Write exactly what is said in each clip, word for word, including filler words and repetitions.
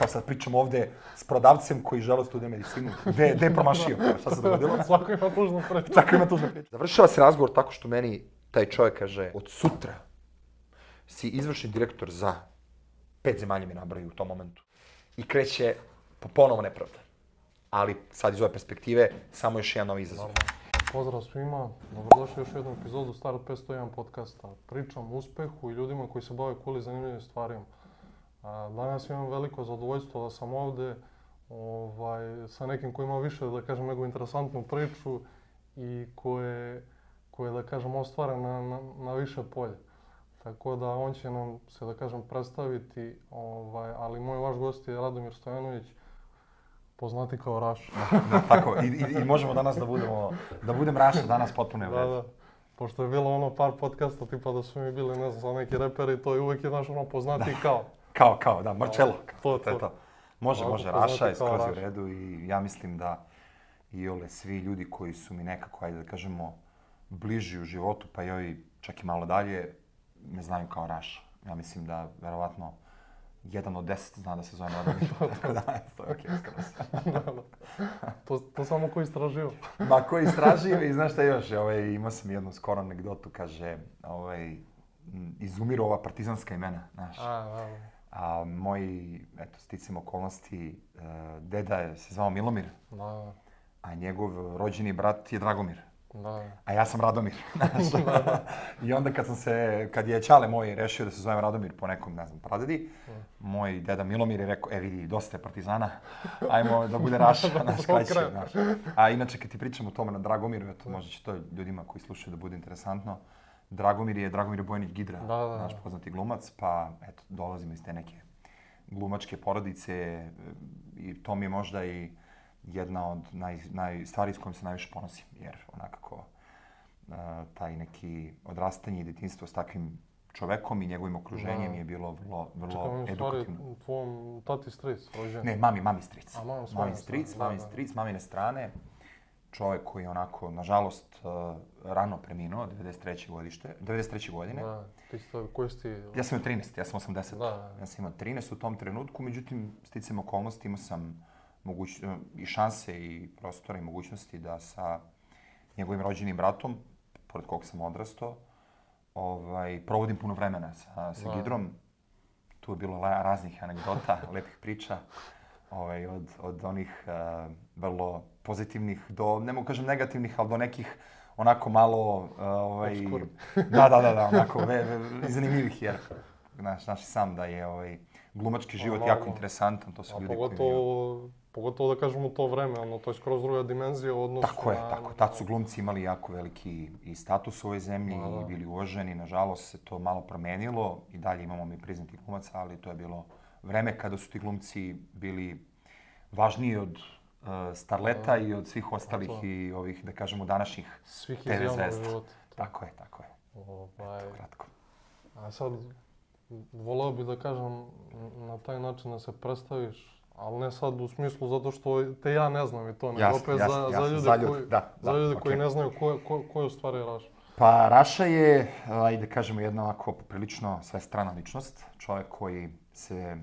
kao sad pričam ovde s prodavcem koji žele studija medicinu. Gde, gde je promašio? Šta se dogodilo? Svako ima tužnu priču. Svako ima tužnu priču. Završava se razgovor tako što meni taj čovjek kaže, od sutra si izvršni direktor za pet zemalja mi nabraju u tom momentu. I kreće ponovo nepravda. Ali sad iz ove perspektive samo još jedan novi izazov. Pozdrav svima, dobrodošli u još jednu epizodu Startup petsto jedan podcasta. Pričam o uspehu i ljudima koji se bave cool i zanimljivim stvarima. Danas imam veliko zadovoljstvo da sam ovde ovaj, sa nekim koji ima više, da kažem, nego interesantnu priču i koje, koje da kažem, ostvara na, na, na više polje. Tako da on će nam se, da kažem, predstaviti, ovaj, ali moj vaš gost je Radomir Stojanović, poznati kao Raša. Da, tako, i, i, i možemo danas da budemo, da budem Raša danas potpuno je u redu. Da, da. Pošto je bilo ono par podcasta, tipa da su mi bili, ne znam, za neki reperi, to je uvijek je naš ono poznati da. kao. Kao, kao, da, Marcello. To, to. to. Može, Ovako može, Raša je skroz Raša. u redu i ja mislim da i ole svi ljudi koji su mi nekako, ajde da kažemo, bliži u životu, pa i ovi čak i malo dalje, me znaju kao Raša. Ja mislim da, verovatno, jedan od deset zna da se zove Radomir. Tako da, to je okej, skroz. to, to samo ko istražio. Ma, ko istražio i znaš šta još, ovaj, imao sam jednu skoro anegdotu, kaže, ovaj, izumiru ova partizanska imena, znaš. A, da, A moji, eto, sticam okolnosti, uh, deda je se zvao Milomir, da, a njegov rođeni brat je Dragomir. da. A ja sam Radomir, znaš. I onda kad sam se, kad je Ćale moj rešio da se zovem Radomir po nekom, ne znam, pradedi, moj deda Milomir je rekao, e vidi, dosta je partizana, ajmo da bude Raša, naš kraće, znaš. A inače, kad ti pričam o tome na Dragomiru, eto, možda će to ljudima koji slušaju da bude interesantno, Dragomir je Dragomir Bojanić Gidra, da, da, naš poznati glumac, pa eto, dolazimo iz te neke glumačke porodice i to mi je možda i jedna od naj, naj, stvari s kojom se najviše ponosim, jer onakako uh, taj neki odrastanje i djetinjstvo s takvim čovekom i njegovim okruženjem da. je bilo vrlo, vrlo Čekam, edukativno. Čekam, u tvojom tati stric rođen? Ne, mami, mami stric. A, mami, mami stric, da, mami da. stric, mamine strane. Čovjek koji je onako, nažalost, uh, rano preminuo, devedeset treće godište, devedeset treće godine. Da, ti si to, koji si ti? Ja sam imao trinaest, ja sam osamdeset. Da, da. Ja sam imao trinaest u tom trenutku, međutim, sticajem okolnosti imao sam moguć, i šanse i prostora i mogućnosti da sa njegovim rođenim bratom, pored kog sam odrastao, ovaj, provodim puno vremena sa, sa Gidrom. Tu je bilo raznih anegdota, lepih priča, ovaj, od, od onih uh, vrlo pozitivnih do, ne mogu kažem negativnih, ali do nekih onako malo, uh, ovaj, da, da, da, da, onako ve, ve, zanimljivih, jer znaš, znaš sam da je ovaj, glumački život A, jako malo. interesantan, to su A ljudi pogotovo, koji... pogotovo da kažemo to vreme, ono, to je skroz druga dimenzija u odnosu Tako je, na... tako. Tad su glumci imali jako veliki i status u ovoj zemlji da, da. i bili uvaženi. Nažalost se to malo promenilo i dalje imamo mi priznatih glumaca, ali to je bilo vreme kada su ti glumci bili važniji od uh, starleta da. I od svih ostalih to. I ovih, da kažemo, današnjih Svih te ve iz javnog zvezda. života. Tako je, tako je. Ovaj, Eto, kratko. a sad, voleo bih da kažem na taj način da se predstaviš, ali ne sad u smislu zato što te ja ne znam i to, nego Jasne, opet jasne, za, jasne, za ljude, za ljude, koji, da, za da, ljude okay. koji ne znaju ko, ko, ko je u stvari Raša. Pa Raša je, ajde kažemo, jedna ovako prilično svestrana ličnost. Čovjek koji se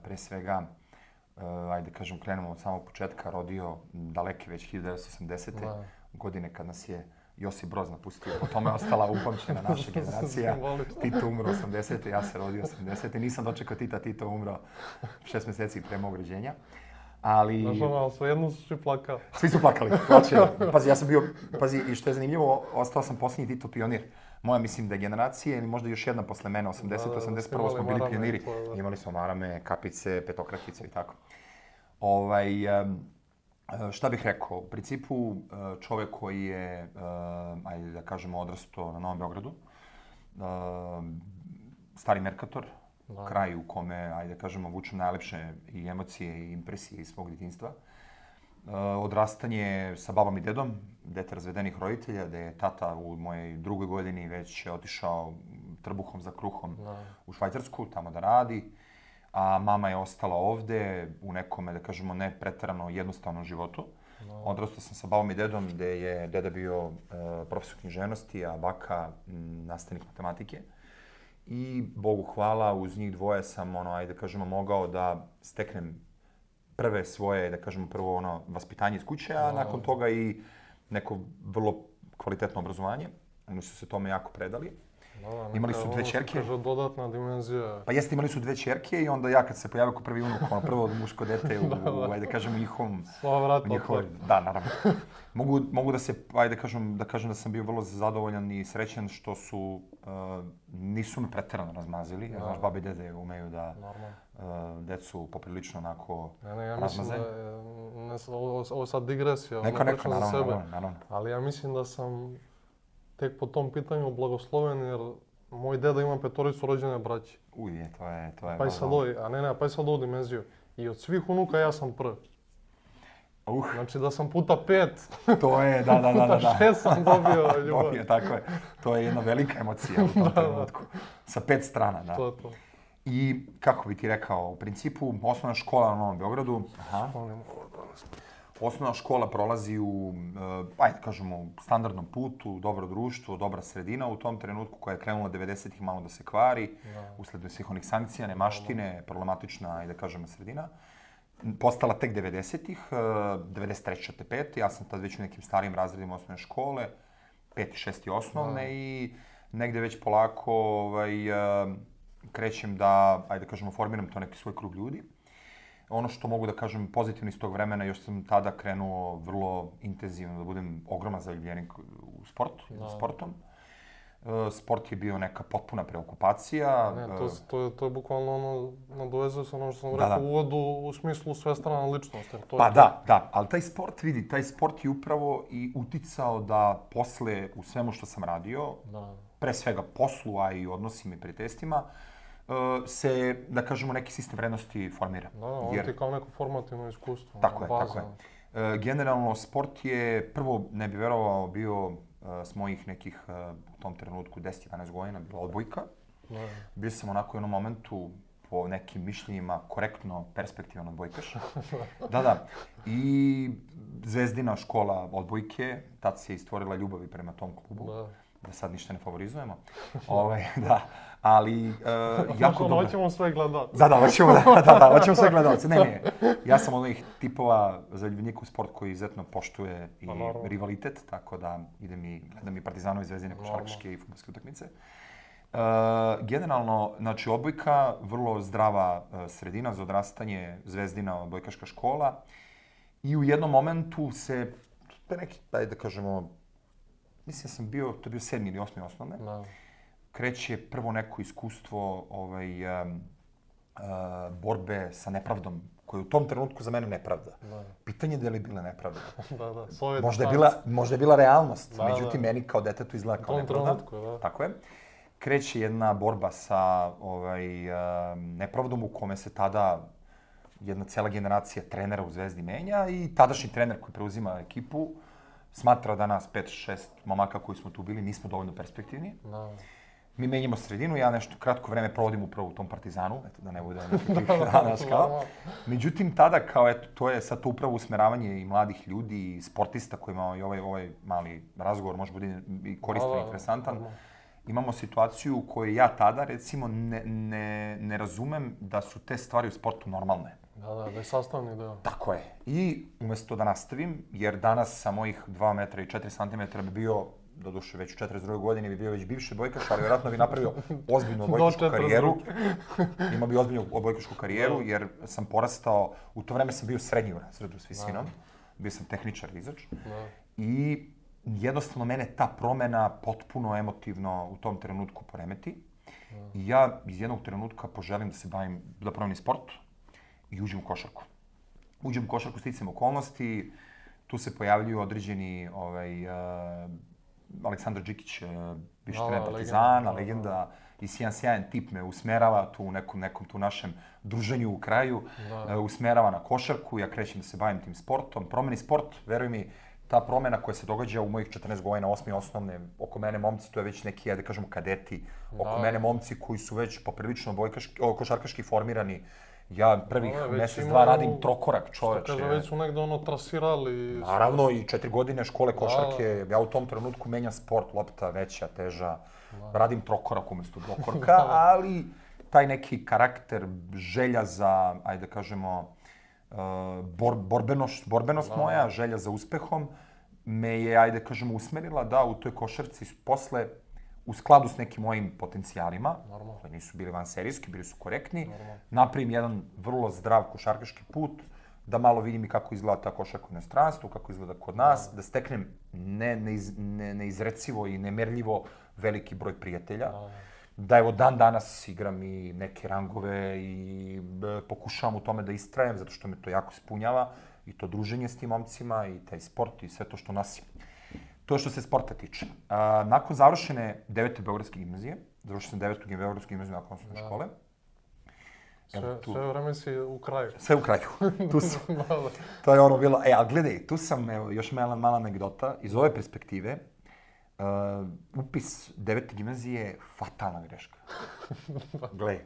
pre svega, ajde kažemo, krenemo od samog početka, rodio daleke već hiljadu devetsto osamdesete. Da. Godine kad nas je Josip Broz napustio. Po tome je ostala upamćena naša generacija. Tito umro osamdesete, ja se rodio osamdesete. Nisam dočekao Tita, Tito umro šest mjeseci pre mog rođenja. Ali... Znaš ono, ali svejedno su svi plakali. Svi su plakali, plaćaju. Pazi, ja sam bio, pazi, i što je zanimljivo, ostao sam posljednji Tito pionir. Moja, mislim da generacija, ili možda još jedna posle mene, osamdeset, osamdeset prvo smo bili pioniri. To, imali smo marame, kapice, petokrakice i tako. Ovaj, um, šta bih rekao, u principu čovjek koji je, uh, ajde da kažemo, odrastao na Novom Beogradu, uh, stari Merkator, da. Kraj u kome, ajde da kažemo, vučem najlepše i emocije i impresije iz svog djetinjstva. Uh, odrastanje sa babom i dedom, dete razvedenih roditelja, gde je tata u mojej drugoj godini već otišao trbuhom za kruhom da. U Švajcarsku, tamo da radi. A mama je ostala ovde u nekome, da kažemo, ne preterano jednostavnom životu. No. Odrastao sam sa babom i dedom, gde je deda bio uh, profesor književnosti, a baka m, nastavnik matematike. I Bogu hvala, uz njih dvoje sam, ono, ajde da kažemo, mogao da steknem prve svoje, da kažemo, prvo ono, vaspitanje iz kuće, a nakon toga i neko vrlo kvalitetno obrazovanje. Oni su se tome jako predali. Da, imali su dve ćerke. Kaže, dodatna dimenzija. Pa jeste, imali su dve ćerke i onda ja kad se pojavio kao prvi unuk, ono prvo muško dete u, da, da. ajde kažemo, njihovom... Sva vrata njihov, da, naravno. mogu, mogu da se, ajde kažem, da kažem da sam bio vrlo zadovoljan i srećan što su, uh, nisu me preterano razmazili. Ja, znaš, babi i dede umeju da uh, decu poprilično onako ne, ne, ja razmaze. Mislim da je, ne, ovo, ovo sad digresija, neka, neka, naravno, za sebe. Naravno, naravno. Ali ja mislim da sam tek po tom pitanju blagosloven, jer moj deda ima petoricu rođene braće. Uj, to je, to je... Pa i sad ovi, a ne, ne, pa i sad ovu dimenziju. I od svih unuka ja sam prvi. Uh. Znači da sam puta pet, to je, da, da, da, da. puta šest sam dobio ljubav. Dobio, tako je. To je jedna velika emocija u tom trenutku. Sa pet strana, da. To je to. I kako bi ti rekao, u principu, osnovna škola na Novom Beogradu, aha, osnovna škola prolazi u, uh, ajde kažemo, standardnom putu, dobro društvo, dobra sredina u tom trenutku koja je krenula devedesetih malo da se kvari, da. Usled svih onih sankcija, nemaštine, problematična, ajde kažemo, sredina. Postala tek devedesetih, devedeset treće te pete Ja sam tad već u nekim starijim razredima osnovne škole, peti, šesti osnovne da. I negde već polako ovaj, krećem da, ajde kažemo, formiram to neki svoj krug ljudi. Ono što mogu da kažem pozitivno iz tog vremena, još sam tada krenuo vrlo intenzivno da budem ogroman zaljubljenik u sport, da. sportom. Sport je bio neka potpuna preokupacija. Ne, to, to, je, to je bukvalno ono, nadovezuje se ono što sam da, rekao da. u uvodu u smislu svestrana ličnost. To pa je da, da, ali taj sport, vidi, taj sport je upravo i uticao da posle u svemu što sam radio, da. pre svega poslu, a i odnosima i prijateljstvima, se, da kažemo, neki sistem vrednosti formira. Da, on Jer... ti kao neko formativno iskustvo. Tako je, baza. tako je. Generalno, sport je, prvo, ne bi verovao, bio s mojih nekih, u tom trenutku, deset jedanaest godina, bila odbojka. Da. Bio sam onako u jednom momentu, po nekim mišljenjima, korektno perspektivan odbojkaš. da, da. I Zvezdina škola odbojke, tad se istvorila ljubav prema tom klubu. Da. Da sad ništa ne favorizujemo. Ove, da, ali uh, jako dobro. Hoćemo sve gledalce. Da, da, hoćemo, da, da, da, hoćemo sve gledalce. Ne, ne, ja sam od onih tipova zaljubljenika u sport koji izuzetno poštuje i pa, rivalitet, tako da idem i gledam i Partizanove, Zvezdine, košarkaške i fudbalske utakmice. Uh, generalno, znači, odbojka, vrlo zdrava uh, sredina za odrastanje, Zvezdina, odbojkaška škola. I u jednom momentu se, to je neki, daj da kažemo, mislim da sam bio, to je bio sedmi ili osmi osnovne, da. Kreće prvo neko iskustvo ovaj, um, uh, borbe sa nepravdom, koja je u tom trenutku za mene nepravda. Da. Pitanje je da li je bila nepravda. da, da. Možda je bila, možda je bila realnost, da, međutim, da. meni kao detetu izgleda kao nepravda. Trenutku, da. Tako je. Kreće jedna borba sa ovaj, uh, nepravdom u kome se tada jedna cela generacija trenera u Zvezdi menja i tadašnji trener koji preuzima ekipu smatra da nas pet šest momaka koji smo tu bili nismo dovoljno perspektivni. No. Mi menjamo sredinu, ja nešto kratko vreme provodim upravo u tom Partizanu, eto da ne bude nekakvih danas kao. Međutim, tada kao eto, to je sad to upravo usmeravanje i mladih ljudi i sportista kojima i ovaj, ovaj mali razgovor može biti i koristan i interesantan. No. Imamo situaciju u kojoj ja tada recimo ne, ne, ne razumem da su te stvari u sportu normalne. Da, da, da je sastavni deo. Tako je. I umjesto da nastavim, jer danas sa mojih dva metra i četiri centimetra bi bio, doduše već u četrdeset drugoj godini bi bio već bivši odbojkaš, ali vjerojatno bi napravio ozbiljnu odbojkašku karijeru. Imao bi ozbiljnu odbojkašku karijeru, jer sam porastao, u to vreme sam bio srednji u razredu s visinom, bio sam tehničar izač. I jednostavno mene ta promena potpuno emotivno u tom trenutku poremeti. I ja iz jednog trenutka poželim da se bavim, da promenim sport. I uđem u košarku. Uđem u košarku sticajem okolnosti, tu se pojavljuju određeni ovaj, uh, Aleksandar Đikić, uh, bivši trener Partizana, legenda, i sjajan, sjajan tip me usmerava tu u nekom, nekom tu našem druženju u kraju, uh, usmerava na košarku, ja krećem da se bavim tim sportom, promeni sport, veruj mi, ta promena koja se događa u mojih četrnaest godina, osmi osnovne, oko mene momci, to je već neki, ja da kažemo, kadeti, oko da. mene momci koji su već poprilično bojkaški, o, košarkaški formirani. Ja prvih no, mjesec, dva radim trokorak, čoveče. Što kaže, već su negde ono trasirali. Naravno, i četiri godine škole košarke. Da. Ja u tom trenutku menjam sport, lopta veća, teža. Da. Radim trokorak umjesto dvokorka, ali taj neki karakter, želja za, ajde da kažemo, bor, borbenost, borbenost da. moja, želja za uspehom, me je, ajde kažemo, usmerila da u toj košarci posle, u skladu s nekim mojim potencijalima, Normalno. koji nisu bili vanserijski, bili su korektni, Normalno. napravim jedan vrlo zdrav košarkaški put, da malo vidim i kako izgleda ta košarka u inostranstvu, kako izgleda kod nas, da, da steknem ne, neiz, ne, neizrecivo i nemerljivo veliki broj prijatelja. Da. Da evo dan danas igram i neke rangove i e, pokušavam u tome da istrajem, zato što me to jako ispunjava. I to druženje s tim momcima, i taj sport, i sve to što nosim. To je što se sporta tiče. A, nakon završene devete Beogradske gimnazije, završio sam devetu Beogradsku gimnaziju nakon osnovne škole. Sve, tu, sve vreme si u kraju. Sve u kraju. Tu sam. To je ono bilo. E, ali gledaj, tu sam, evo, još mala, mala anegdota. Iz ove perspektive, uh, upis devete gimnazije je fatalna greška. Gle,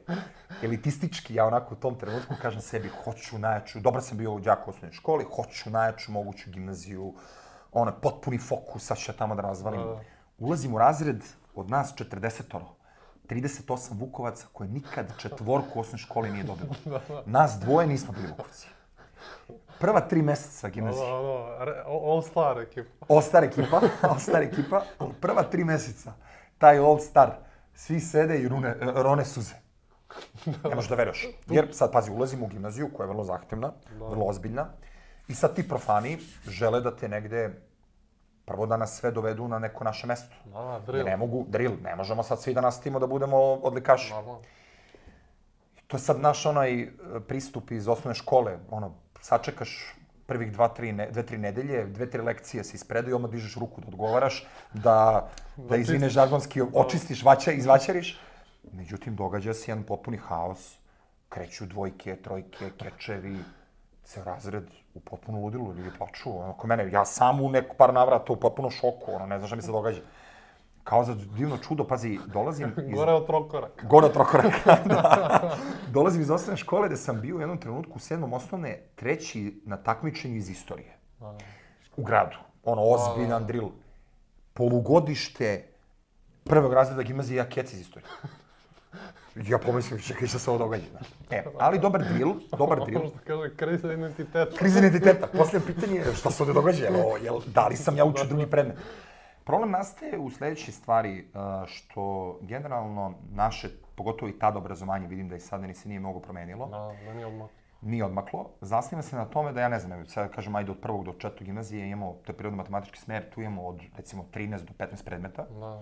elitistički, ja onako u tom trenutku kažem sebi, hoću najjaču, dobro sam bio u đaku u osnovnoj školi, hoću najjaču moguću gimnaziju, ono, potpuni fokus, sad ću ja tamo da razvalim. Ulazim u razred od nas četrdesetoro, trideset osam Vukovaca koje nikad četvorku u osnovnoj školi nije dobilo. Nas dvoje nismo bili Vukovci. Prva tri meseca gimnazije. All star ekipa. All star ekipa, all star ekipa. Prva tri meseca, taj all star, svi sede i rune, rone suze. Ne možeš da veruješ. Jer sad, pazi, ulazimo u gimnaziju koja je vrlo zahtevna, vrlo ozbiljna. I sad ti profani žele da te negde, prvo da nas sve dovedu na neko naše mesto. Da, drill. Ne mogu, drill, ne možemo sad svi da nastavimo da budemo odlikaši. To je sad naš onaj pristup iz osnovne škole, ono, sačekaš prvih dva, tri, ne, dve, tri nedelje, dve, tri lekcije se ispredaju, odmah dižeš ruku da odgovaraš, da, da izvineš žargonski, očistiš, vaća, izvaćariš. Međutim, događa se jedan potpuni haos, kreću dvojke, trojke, kečevi, ceo razred u potpuno ludilu, ljudi plaču, ono, ko mene, ja sam u neku par navrata u potpuno šoku, ono, ne znam šta mi se događa. Kao za divno čudo, pazi, dolazim iz... Gore od trokoraka. Gore od trokoraka, da. Dolazim iz osnovne škole gde sam bio u jednom trenutku u sedmom osnovne, treći na takmičenju iz istorije. U gradu. Ono, ozbiljan drill. Polugodište prvog razreda gimnazije, ja kec iz istorije. Ja pomislim, čekaj šta se ovo događa. E, ali dobar drill, dobar drill. Ono što kaže, kriza identiteta. Kriza identiteta. Posljedno pitanje je šta se ovdje događa, jel, jel, da li sam ja učio drugi predmet. Problem nastaje u sljedećoj stvari, što generalno naše, pogotovo i tada obrazovanje, vidim da i sada ni se nije mnogo promenilo. Da, da nije odmaklo. Nije odmaklo. Zasniva se na tome da ja ne znam, sada kažem, ajde od prvog do četvrtog gimnazije imamo, to je prirodno-matematički smer, tu imamo od recimo trinaest do petnaest predmeta. Da.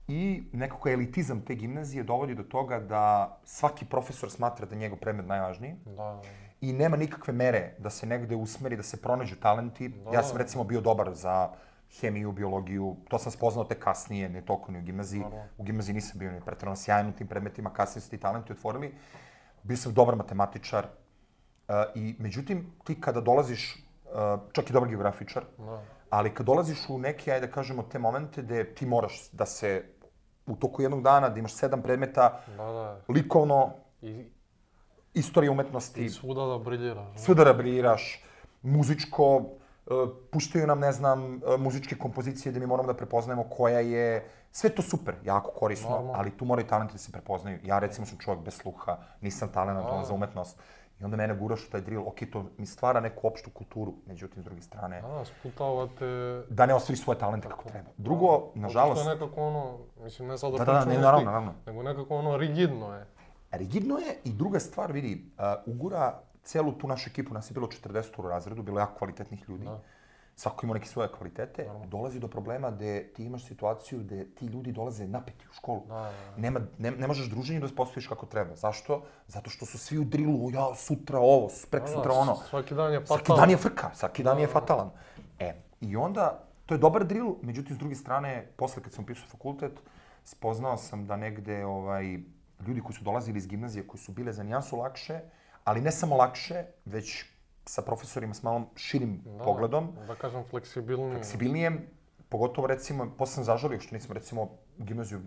I nekako elitizam te gimnazije dovodi do toga da svaki profesor smatra da je njegov predmet najvažniji. Da. I nema nikakve mere da se negde usmeri, da se pronađu talenti. Da. Ja sam recimo bio dobar za hemiju, biologiju, to sam spoznao te kasnije, ne toliko ni u gimnaziji. Da. U gimnaziji nisam bio ni pretjerano sjajan u tim predmetima, kasnije su ti talenti otvorili. Bio sam dobar matematičar. Uh, I međutim, ti kada dolaziš, uh, čak i dobar geografičar, da. Ali kad dolaziš u neke, ajde da kažemo, te momente gde ti moraš da se u toku jednog dana, da imaš sedam predmeta, da, da. likovno, I, istorija umetnosti, i svuda da briljiraš. Svuda da briljiraš, muzičko, uh, puštaju nam, ne znam, uh, muzičke kompozicije gde mi moramo da prepoznajemo koja je, sve to super, jako korisno, Normalno. Ali tu moraju talenti da se prepoznaju. Ja recimo sam čovjek bez sluha, nisam talentovan za umetnost. I onda mene guraš u taj drill, ok, to mi stvara neku opštu kulturu, međutim, s druge strane... Da, sputavate... Da ne ostvariš svoje talente kako treba. Drugo, nažalost... To je nekako ono, mislim, ne sad da Da, da, ne, naravno, naravno. Nego nekako ono rigidno je. Rigidno je i druga stvar, vidi, uh, ugura celu tu našu ekipu, nas je bilo četrdeset u razredu, bilo jako kvalitetnih ljudi. Da. Svako ima neke svoje kvalitete, Naravno. Dolazi do problema gde ti imaš situaciju gde ti ljudi dolaze napeti u školu. Da, da, da. Nema, ne, ne možeš druženje da uspostaviš kako treba. Zašto? Zato što su svi u drillu, ja sutra ovo, prek sutra ono. Svaki dan je fatalan. Svaki dan je frka, svaki dan je fatalan. E, i onda, to je dobar drill, međutim, s druge strane, posle kad sam upisao fakultet, spoznao sam da negde ovaj, ljudi koji su dolazili iz gimnazije, koji su bile za nijansu lakše, ali ne samo lakše, već sa profesorima s malom širim da, pogledom. Da kažem fleksibilnije. Fleksibilnije, pogotovo recimo, posle sam zažalio što nisam recimo u gimnaziju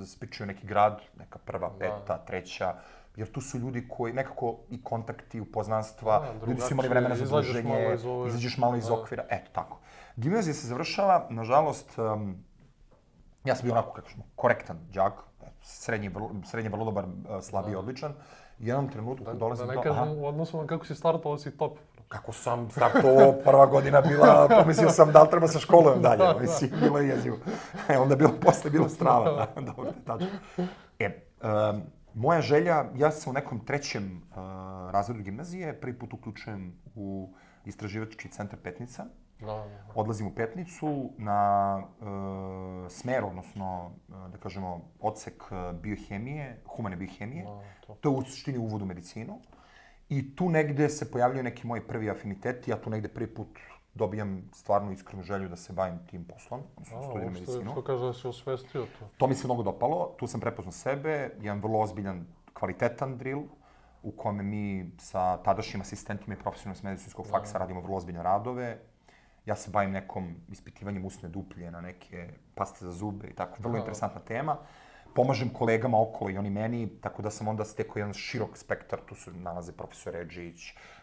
spičio neki grad, neka prva, da. peta, treća, jer tu su ljudi koji nekako i kontakti, upoznanstva, da, ljudi su imali vremena za druženje, izađeš malo iz okvira, eto tako. Gimnazija se završava, nažalost, um, ja sam bio onako, kako ćemo, korektan đak, srednji, srednji vrlo dobar, slabiji, odličan. u jednom trenutku da, dolazim do... do... Da ne kažem u odnosu na kako si startovao, si top. Kako sam startovao, prva godina bila, pomislio sam da li treba sa školom dalje, da, mislim, bilo je jezivo. E, onda bilo, posle bilo strava, da, dobro, tačno. E, um, moja želja, ja sam u nekom trećem uh, razredu gimnazije, prvi put uključujem u istraživački centar Petnica. Da, da. Odlazim u Petnicu na uh, smer, odnosno, uh, da kažemo, odsek biohemije, humane biohemije. Da, to. to je u suštini uvod u medicinu. I tu negde se pojavljaju neki moji prvi afiniteti, ja tu negde prvi put dobijam stvarno iskrenu želju da se bavim tim poslom, odnosno studiram medicinu. Što kaže da si osvestio to? To mi se mnogo dopalo, tu sam prepoznao sebe, jedan vrlo ozbiljan, kvalitetan drill, u kome mi sa tadašnjim asistentima i profesorima s medicinskog faksa radimo vrlo ozbiljne radove. Ja se bavim nekom ispitivanjem usne duplje na neke paste za zube i tako, vrlo interesantna tema. Pomažem kolegama okolo i oni meni, tako da sam onda stekao jedan širok spektar. Tu se nalaze profesor Edžić,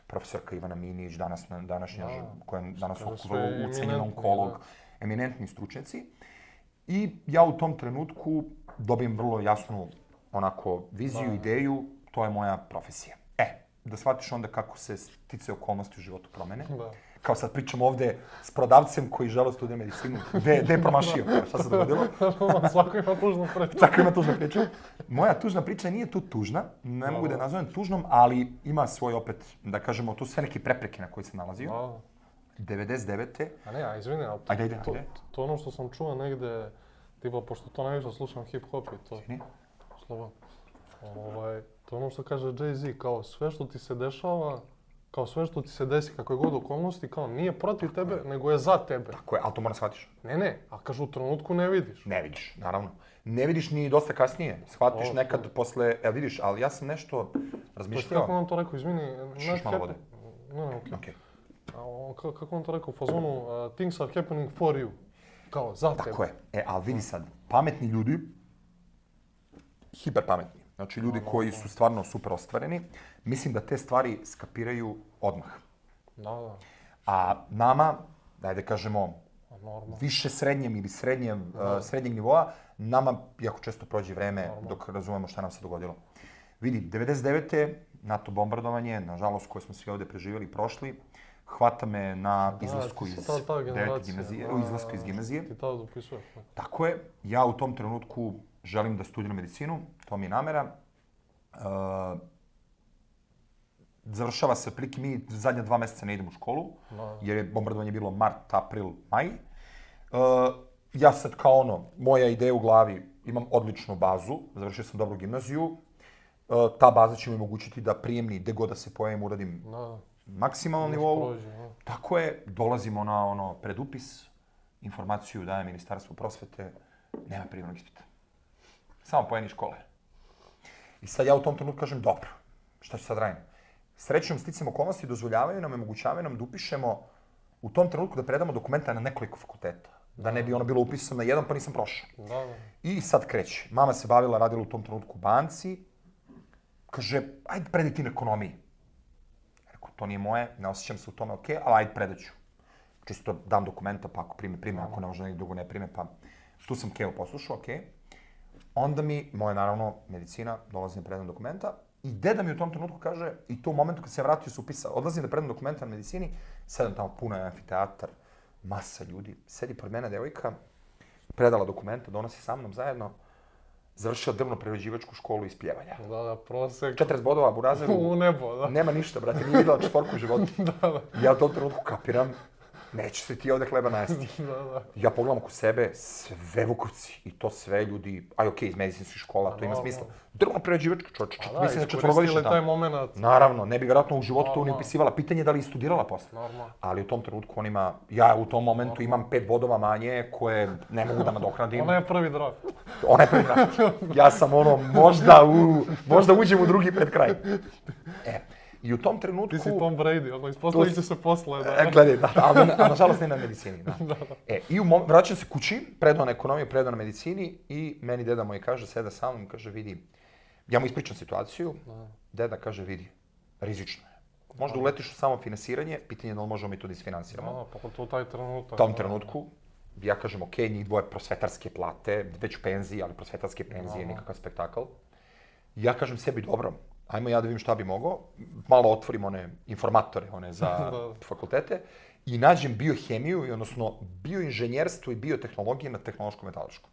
profesorka Ivana Minić, danas, današnja, koja je danas ucenjen onkolog, eminentni stručnjaci. I ja u tom trenutku dobijem vrlo jasnu onako viziju, ideju, to je moja profesija. E, da shvatiš onda kako se stice okolnosti u životu promene. Kao sad pričam ovde s prodavcem koji žele studija medicinu. Gde, gde je promašio? Šta se dogodilo? Svako ima tužnu priču. Svako ima tužnu priču. Moja tužna priča nije tu tužna, ne mogu da je nazovem tužnom, ali ima svoj opet, da kažemo, tu sve neke prepreke na koje se nalazio. devedeset devete. A ne, a izvini, ali ajde, ajde, to, ajde. to ono što sam čuo negde, tipa, pošto to najviše slušam hip-hop i to... Izvini. Slovo. Ovaj, to ono što kaže Jay-Z, kao sve što ti se dešava, kao sve što ti se desi, kakve god okolnosti, kao nije protiv tako tebe, je. Nego je za tebe. Tako je, ali to moram shvatiš. Ne, ne, a kažu u trenutku ne vidiš. Ne vidiš, naravno. Ne vidiš ni dosta kasnije. Shvatiš o, nekad to. Posle, evo vidiš, ali ja sam nešto razmišljao. Kako on to rekao, izvini? Šiš malo vode. Ne, ne, okej. Okay. Okay. Kako on to rekao, u fazonu, uh, things are happening for you. Kao, za tebe. Tako je. E, ali vidi sad, pametni ljudi, hiperpametni, znači ljudi no, no, koji no. su stvarno super ostvareni, mislim da te stvari skapiraju odmah. Da, da. A nama, daj da kažemo, Normal. više srednjem ili srednjem, uh, srednjeg nivoa, nama jako često prođe vreme Normal. Dok razumemo šta nam se dogodilo. Vidi, devedeset devete. NATO bombardovanje, nažalost, koje smo svi ovde preživjeli i prošli, hvata me na izlasku iz devete gimnazije, u izlasku iz gimnazije. Ti tada dopisuješ. Tako je. Ja u tom trenutku želim da studiram medicinu, to mi je namera. Uh, završava se, prilike mi zadnja dva meseca ne idem u školu, no. Jer je bombardovanje bilo mart, april, maj. Uh, ja sad kao ono, moja ideja u glavi, imam odličnu bazu, završio sam dobru gimnaziju. Uh, ta baza će mi omogućiti da prijemni, gde god da se pojavim, uradim no. maksimalnom nivou. Prođe, no. Tako je, dolazimo na ono predupis, informaciju daje Ministarstvo prosvete, nema prijemnog ispita. Samo pojeni škole. I sad ja u tom trenutku kažem, dobro, šta ću sad radim? Srećom, sticam okolnosti dozvoljavaju nam, omogućavaju nam da upišemo u tom trenutku da predamo dokumenta na nekoliko fakulteta. Da ne bi ono bilo upisano na jedan, pa nisam prošao. Da, da. I sad kreće. Mama se bavila, radila u tom trenutku u banci. Kaže, ajde predaj ti na ekonomiji. Rekao, to nije moje, ne osjećam se u tome, okej, okay, ali ajde predaću. Čisto dam dokumenta, pa ako prime, prime, ako ne može nekog drugo ne prime, pa tu sam Keo poslušao, okej. Okay. Onda mi, moja naravno medicina, dolazi na predam dokumenta. I deda mi u tom trenutku kaže, i to u momentu kad se ja vratio se upisa, odlazim da predam dokumenta na medicini, sedam tamo puno je amfiteatar, masa ljudi, sedi pored mene devojka, predala dokumenta, donosi sa mnom zajedno, završila drvno-prerađivačku školu iz pljevanja. Da, da, prosek. četrdeset bodova, burazeru. U nebo, da. Nema ništa, brate, nije videla četvorku u životu. Da, da. Ja u tom trenutku kapiram, neće se ti ovde hleba najesti. Da, da. Ja pogledam oko sebe, sve Vukovci, i to sve ljudi, aj okej, okay, iz medicinskih škola, to ima smisla. Drvno-prerađivačka čovječe, čet, mislim da četvorogodišnja tamo. taj moment. Naravno, ne bi vjerojatno u životu to ni upisivala. Pitanje je da li je studirala posle. Normalno. Ali u tom trenutku on ima, ja u tom momentu Normal. Imam pet bodova manje koje ne mogu da nadoknadim. Ona je prvi draft. Ona je prvi draft. Ja sam ono, možda, u, možda uđem u drugi pred kraj. E, i u tom trenutku... Ti si Tom Brady, ono, ispostavit će se posle, da. E, gledaj, da, ali na, nažalost ne na medicini, da. Da, da. E, i u mom, vraćam se kući, predao na ekonomiju, predao na medicini i meni deda moj kaže, seda sa mnom, kaže, vidi, ja mu ispričam situaciju, da. Deda kaže, vidi, rizično je. Možda uletiš u samo finansiranje, pitanje je da li možemo mi to da isfinansiramo. Da, pa to taj trenutak. U tom trenutku, ja kažem, ok, njih dvoje prosvetarske plate, već u penziji, ali prosvetarske penzije, nikakav spektakl. Ja kažem sebi, dobro, ajmo ja da vidim šta bi mogao, malo otvorim one informatore, one za fakultete, i nađem biohemiju, odnosno bioinženjerstvo i biotehnologije na tehnološko-metaloškom.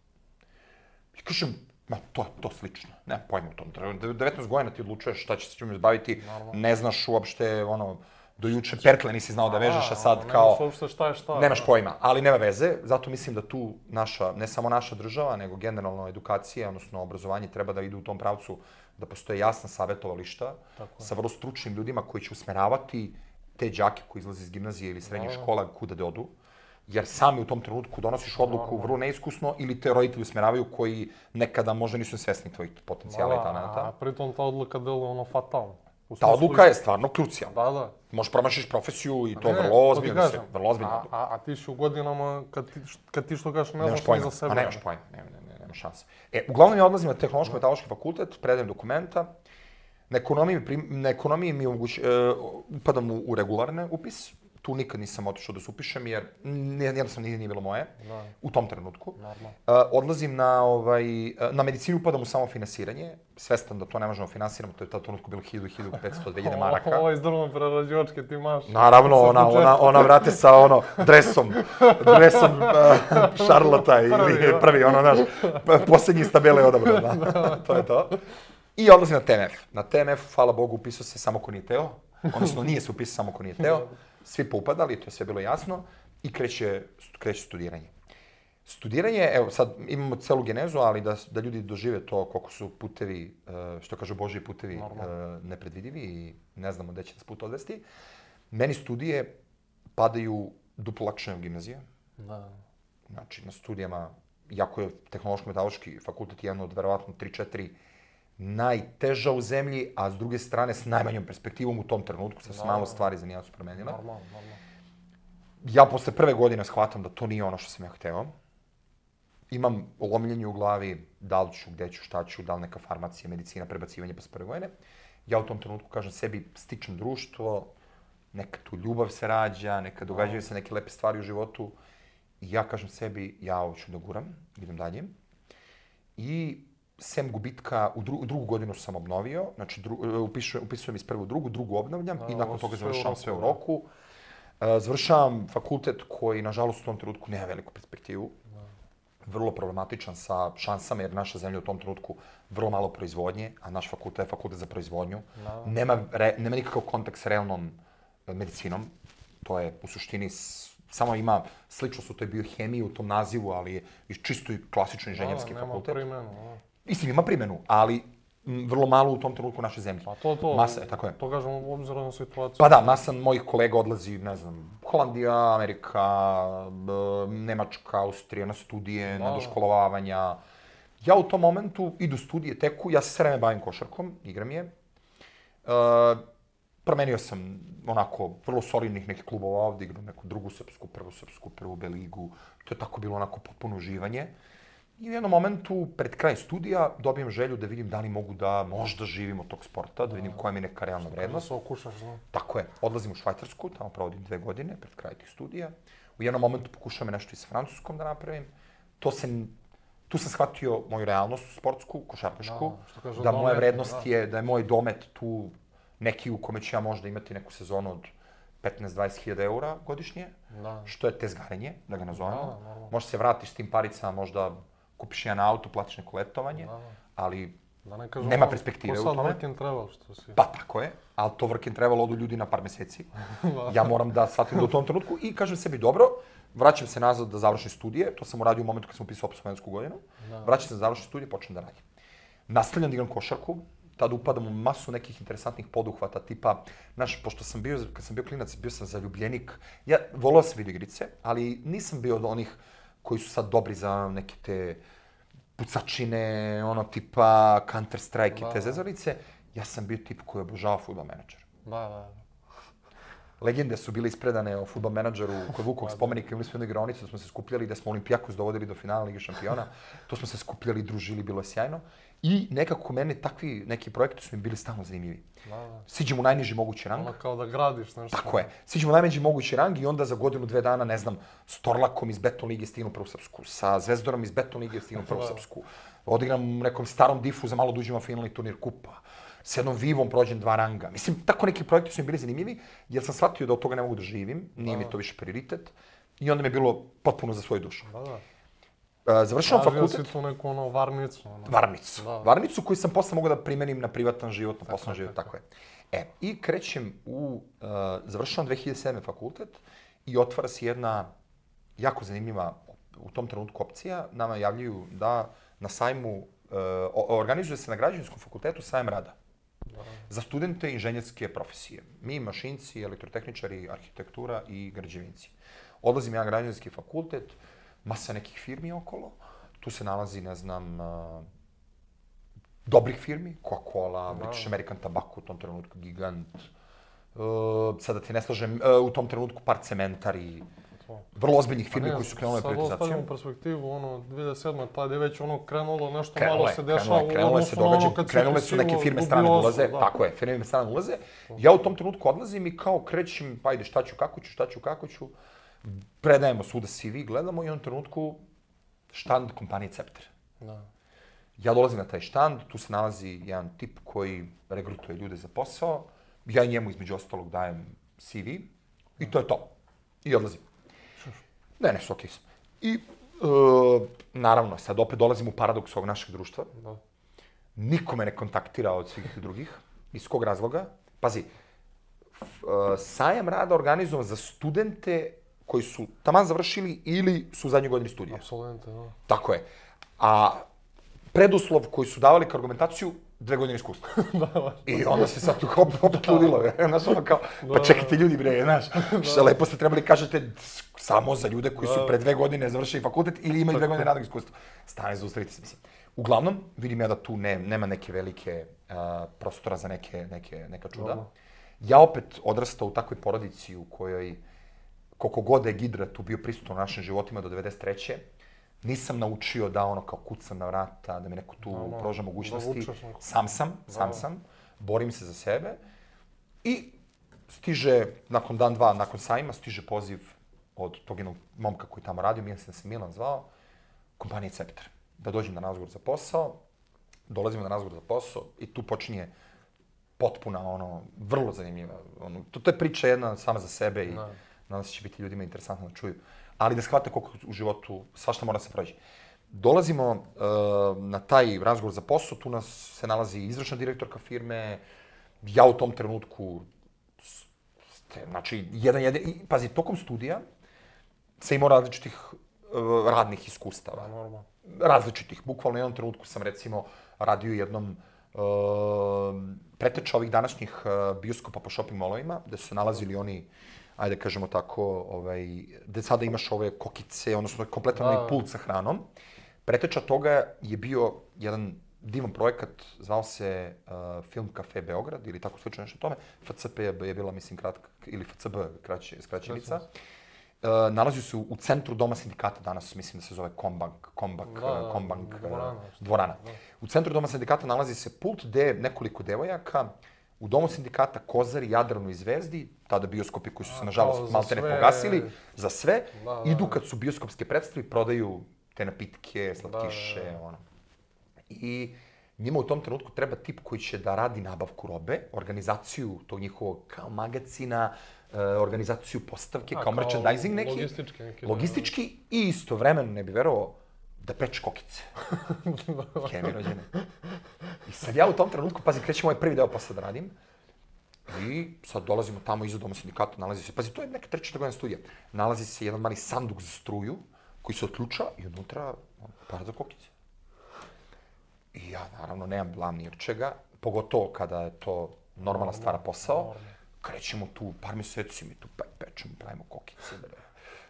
I kažem, ma, to je to slično, nemam pojma u tom. devetnaest godina ti odlučuješ šta će se ćemo izbaviti, ne znaš uopšte, ono, do juče perkle nisi znao da vežeš, a sad kao... Nemaš uopšte šta je šta. Nemaš pojma, ali nema veze, zato mislim da tu naša, ne samo naša država, nego generalno edukacija, odnosno obrazovanje treba da ide u tom pravcu, da postoje jasna savjetovališta sa vrlo stručnim ljudima koji će usmeravati te đake koji izlaze iz gimnazije ili srednjih škola kuda da odu, jer sami u tom trenutku donosiš odluku vrlo neiskusno ili te roditelji usmeravaju koji nekada možda nisu svesni tvojih potencijala i talenta. A pritom ta odluka deluje ono fatalno. Ta odluka je stvarno krucijalna. Da, da. Možeš promašiš profesiju i to vrlo ozbiljno se, vrlo ozbiljno. A, a ti si u godinama, kad ti, kad ti što kažeš, ne znaš ni za sebe. A nemaš pojma, nema, nema, nema šanse. E, uglavnom ja odlazim na tehnološko-metaloški fakultet, predajem dokumenta, na ekonomiji, na ekonomiji mi omoguć, uh, upadam u, u regularne upis, tu nikad nisam otišao da se upišem, jer jednostavno nije, nije bilo moje, da. U tom trenutku. Uh, odlazim na, ovaj, na medicinu, upadam u samofinansiranje, svestan da to ne možemo finansiramo, to je u tom trenutku bilo hiljadu, hiljadu petsto, dve hiljade maraka. Ovo iz drvno-prerađivačke ti maš. Naravno, ona, ona, ona vrate sa ono, dresom, dresom uh, Charlotta ili prvi, ono, znaš, posljednji iz tabele odabro, da, to je to. I odlazim na T M F. Na T M F, hvala Bogu, upisao se samo ko nije teo, odnosno nije se upisao samo ko nije teo. Svi poupadali, to je sve bilo jasno, i kreće, kreće studiranje. Studiranje, evo sad imamo celu genezu, ali da, da ljudi dožive to koliko su putevi, što kažu Božji putevi, Normal. nepredvidivi i ne znamo gde će nas put odvesti. Meni studije padaju duplo lakše nego gimnazija. Da. Znači, na studijama, jako je tehnološko-metaloški fakultet jedan od verovatno tri četiri najteža u zemlji, a s druge strane s najmanjom perspektivom u tom trenutku, sa malo stvari za nijedan su promenile. Normalno, normalno. Ja posle prve godine shvatam da to nije ono što sam ja hteo. Imam lomljenje u glavi, da li ću, gde ću, šta ću, da li neka farmacija, medicina, prebacivanje posle prve godine. Ja u tom trenutku kažem sebi, stičem društvo, neka tu ljubav se rađa, neka događaju se neke lepe stvari u životu. I ja kažem sebi, ja ovo ću da guram, idem dalje. I sem gubitka, u, dru, u drugu godinu sam obnovio, znači dru, upisujem, upisujem iz prvu u drugu, drugu obnavljam i nakon toga završavam sve u roku. Uh, završavam fakultet koji, nažalost, u tom trenutku nema veliku perspektivu. Vrlo problematičan sa šansama, jer naša zemlja u tom trenutku vrlo malo proizvodnje, a naš fakultet je fakultet za proizvodnju. Nema, re, nema nikakav kontakt s realnom medicinom. To je u suštini s, samo ima sličnost u toj biohemiji, u tom nazivu, ali je čisto i klasično inženjerski da, fakultet. Nema primjenu. Istim, ima primjenu, ali m, vrlo malo u tom trenutku u našoj zemlji. Pa to, to, masa, tako je. To kažemo u obzirom na situaciju. Pa da, masa mojih kolega odlazi, ne znam, Holandija, Amerika, b, Nemačka, Austrija, na studije, da, na doškolovavanja. Ja u tom momentu idu studije, teku, ja se sve vreme bavim košarkom, igram je. Uh, promenio sam onako vrlo solidnih nekih klubova ovdje, igram neku drugu srpsku, prvu srpsku, prvu B ligu. To je tako bilo onako potpuno uživanje. I u jednom momentu, pred kraj studija, dobijem želju da vidim da li mogu da možda živim od tog sporta, da vidim koja mi je neka realna vrednost. Da se okušaš, da. Tako je. Odlazim u Švajcarsku, tamo provodim dve godine, pred kraj tih studija. U jednom momentu pokušavam nešto i s Francuskom da napravim. To se, tu sam shvatio moju realnost sportsku, košarkašku, da, da moja vrednost da. je, da je moj domet tu neki u kome ću ja možda imati neku sezonu od petnaest do dvadeset hiljada eura godišnje, da. Što je tezgarenje, da ga nazovemo. Da, možda se vratiš s tim paricama, možda kupiš jedan auto, platiš neko letovanje, da. Ali da ne kažem, nema perspektive u tome. Ko sad work and travel, što si... Pa tako je, ali to work and travel odu ljudi na par meseci. Ja moram da shvatim do tom trenutku i kažem sebi, dobro, vraćam se nazad da završim studije, to sam uradio u momentu kad sam upisao absolventsku godinu, da. Vraćam se da završim studije, počnem da radim. Nastavljam da igram košarku, tada upadam u masu nekih interesantnih poduhvata, tipa, znaš, pošto sam bio, kad sam bio klinac, bio sam zaljubljenik, ja volao sam video igrice, ali nisam bio od onih koji su sad dobri za neke te pucačine, ono tipa Counter-Strike i te zezalice. Ja sam bio tip koji obožava Football Manager. Da, da. Legende su bile ispredane o Football Manageru kod Vukovog spomenika, imali smo jednu igraonicu da smo se skupljali, da smo Olimpijakos dovodili do finala Lige šampiona. To smo se skupljali, družili, bilo je sjajno. I nekako mene takvi neki projekti su mi bili stalno zanimljivi. Siđem u najniži mogući rang. Ono kao da gradiš nešto. Tako je. Siđem u najniži mogući rang i onda za godinu, dve dana, ne znam, s Torlakom iz Beton Lige stignu prvu srpsku, sa Zvezdorom iz Beton Lige stignu prvu srpsku. Odigram u nekom starom difu za malo da uđem u finalni turnir kupa. s jednom Vivom prođem dva ranga. Mislim, tako neki projekti su mi bili zanimljivi, jer sam shvatio da od toga ne mogu da živim, nije mi to više prioritet, i onda mi je bilo potpuno za svoju dušu. Da, da. Uh, završavam fakultet. Tražio si tu neku ono varnicu. Ono. Varnicu. Da. Varnicu koju sam posle mogu da primenim na privatan život, na poslovni život, tako je. E, i krećem u, uh, završavam dve hiljade sedme fakultet i otvara se jedna jako zanimljiva u tom trenutku opcija. Nama javljaju da na sajmu, uh, organizuje se na građevinskom fakultetu sajam rada. Da. Za studente inženjerske profesije. Mi, mašinci, elektrotehničari, arhitektura i građevinci. Odlazim ja na građevinski fakultet, masa nekih firmi okolo. Tu se nalazi, ne znam, uh, dobrih firmi, Coca-Cola, British American Tobacco, u tom trenutku Gigant. Uh, sada ti ne slažem, uh, u tom trenutku par cementari, vrlo ozbiljnih firmi ne, koji su krenule privatizacijom. Sad ostavljamo perspektivu, ono, dve hiljade sedme tada je već ono krenulo, nešto krenule, malo se dešava krenule, krenule u odnosu se događa, ono kad krenule su neke firme strane da ulaze, da. Tako je, firme strane ulaze. Ja u tom trenutku odlazim i kao krećem, pa ajde šta ću, kako ću, šta ću, kako ću. Predajemo svuda C V, gledamo i u onom trenutku štand kompanije Cepter. Da. Ja dolazim na taj štand, tu se nalazi jedan tip koji regrutuje ljude za posao. Ja njemu između ostalog dajem C V i to je to. I odlazim. Ne, ne, su okej sam. I, uh, naravno, sad opet dolazim u paradoks ovog našeg društva. Da. Niko me ne kontaktira od svih drugih. Iz kog razloga? Pazi, uh, sajam rada organizovan za studente koji su taman završili ili su u zadnjoj godini studija. Apsolutno, da. Tako je. A preduslov koji su davali kao argumentaciju, dve godine iskustva. Da, i onda se sad tu opet ludilo, znaš, ono kao, pa čekajte ljudi, bre, znaš, što lepo ste trebali kažete samo za ljude koji su pre dve godine završili fakultet ili imaju dve godine radnog iskustva. Stane, zaustavite se, mislim. Uglavnom, vidim ja da tu ne, nema neke velike uh, prostora za neke, neke, neka čuda. Ja opet odrastao u takvoj porodici u kojoj, koliko god je Gidra tu bio prisutan u našim životima do devedeset treće nisam naučio da ono kao kucam na vrata, da mi neko tu no, no, pruža mogućnosti. Sam sam, sam no. sam, borim se za sebe. I stiže, nakon dan, dva, nakon sajma, stiže poziv od tog jednog momka koji tamo radio, mislim da se Milan zvao, kompanije Cepter. Da dođem na razgovor za posao, dolazimo na razgovor za posao i tu počinje potpuna, ono, vrlo zanimljiva. Ono, to, to je priča jedna sama za sebe i no. nadam se će biti ljudima interesantno da čuju. Ali da shvate koliko u životu svašta mora se prođe. Dolazimo uh, na taj razgovor za posao, tu nas se nalazi izvršna direktorka firme, ja u tom trenutku, ste, znači, jedan, jedan, i, pazi, tokom studija sam imao različitih uh, radnih iskustava. Normalno. Različitih, bukvalno u jednom trenutku sam recimo radio jednom uh, preteča ovih današnjih uh, bioskopa po shopping malovima, gde su se nalazili oni, ajde kažemo tako, ovaj, gde sada imaš ove kokice, odnosno kompletan onaj pult sa hranom. Preteča toga je bio jedan divan projekat, zvao se uh, Film Cafe Beograd, ili tako slično nešto tome. F C P je bila, mislim, kratka, ili F C B, kraće, skraćenica. Uh, nalazio se u, u centru Doma sindikata, danas mislim da se zove Kombank, Kombank, da, Kombank, dvorana. dvorana. Da. U centru Doma sindikata nalazi se pult gde nekoliko devojaka u Domu sindikata, Kozari, Jadranu i Zvezdi, tada bioskopi koji su se, nažalost, maltene pogasili, za sve, da, da, idu kad su bioskopske predstave, prodaju te napitke, slatkiše, da, da, da. ono. I njima u tom trenutku treba tip koji će da radi nabavku robe, organizaciju tog njihovog kao magacina, organizaciju postavke, A, kao, kao merchandising neki. Logistički neki. Logistički i istovremeno, ne bi verovao, da peče kokice. Kemi rođene. I sad ja u tom trenutku, pazi, krećem ovaj prvi deo posle da radim. I sad dolazimo tamo iza Doma sindikata, nalazi se, pazi, to je neka treća godina studija. Nalazi se jedan mali sanduk za struju koji se otključa i unutra par za kokice. I ja, naravno, nemam blam ni od čega, pogotovo kada je to normalna stvara posao. Krećemo tu par meseci, mi tu pe pečemo, pravimo kokice, bre.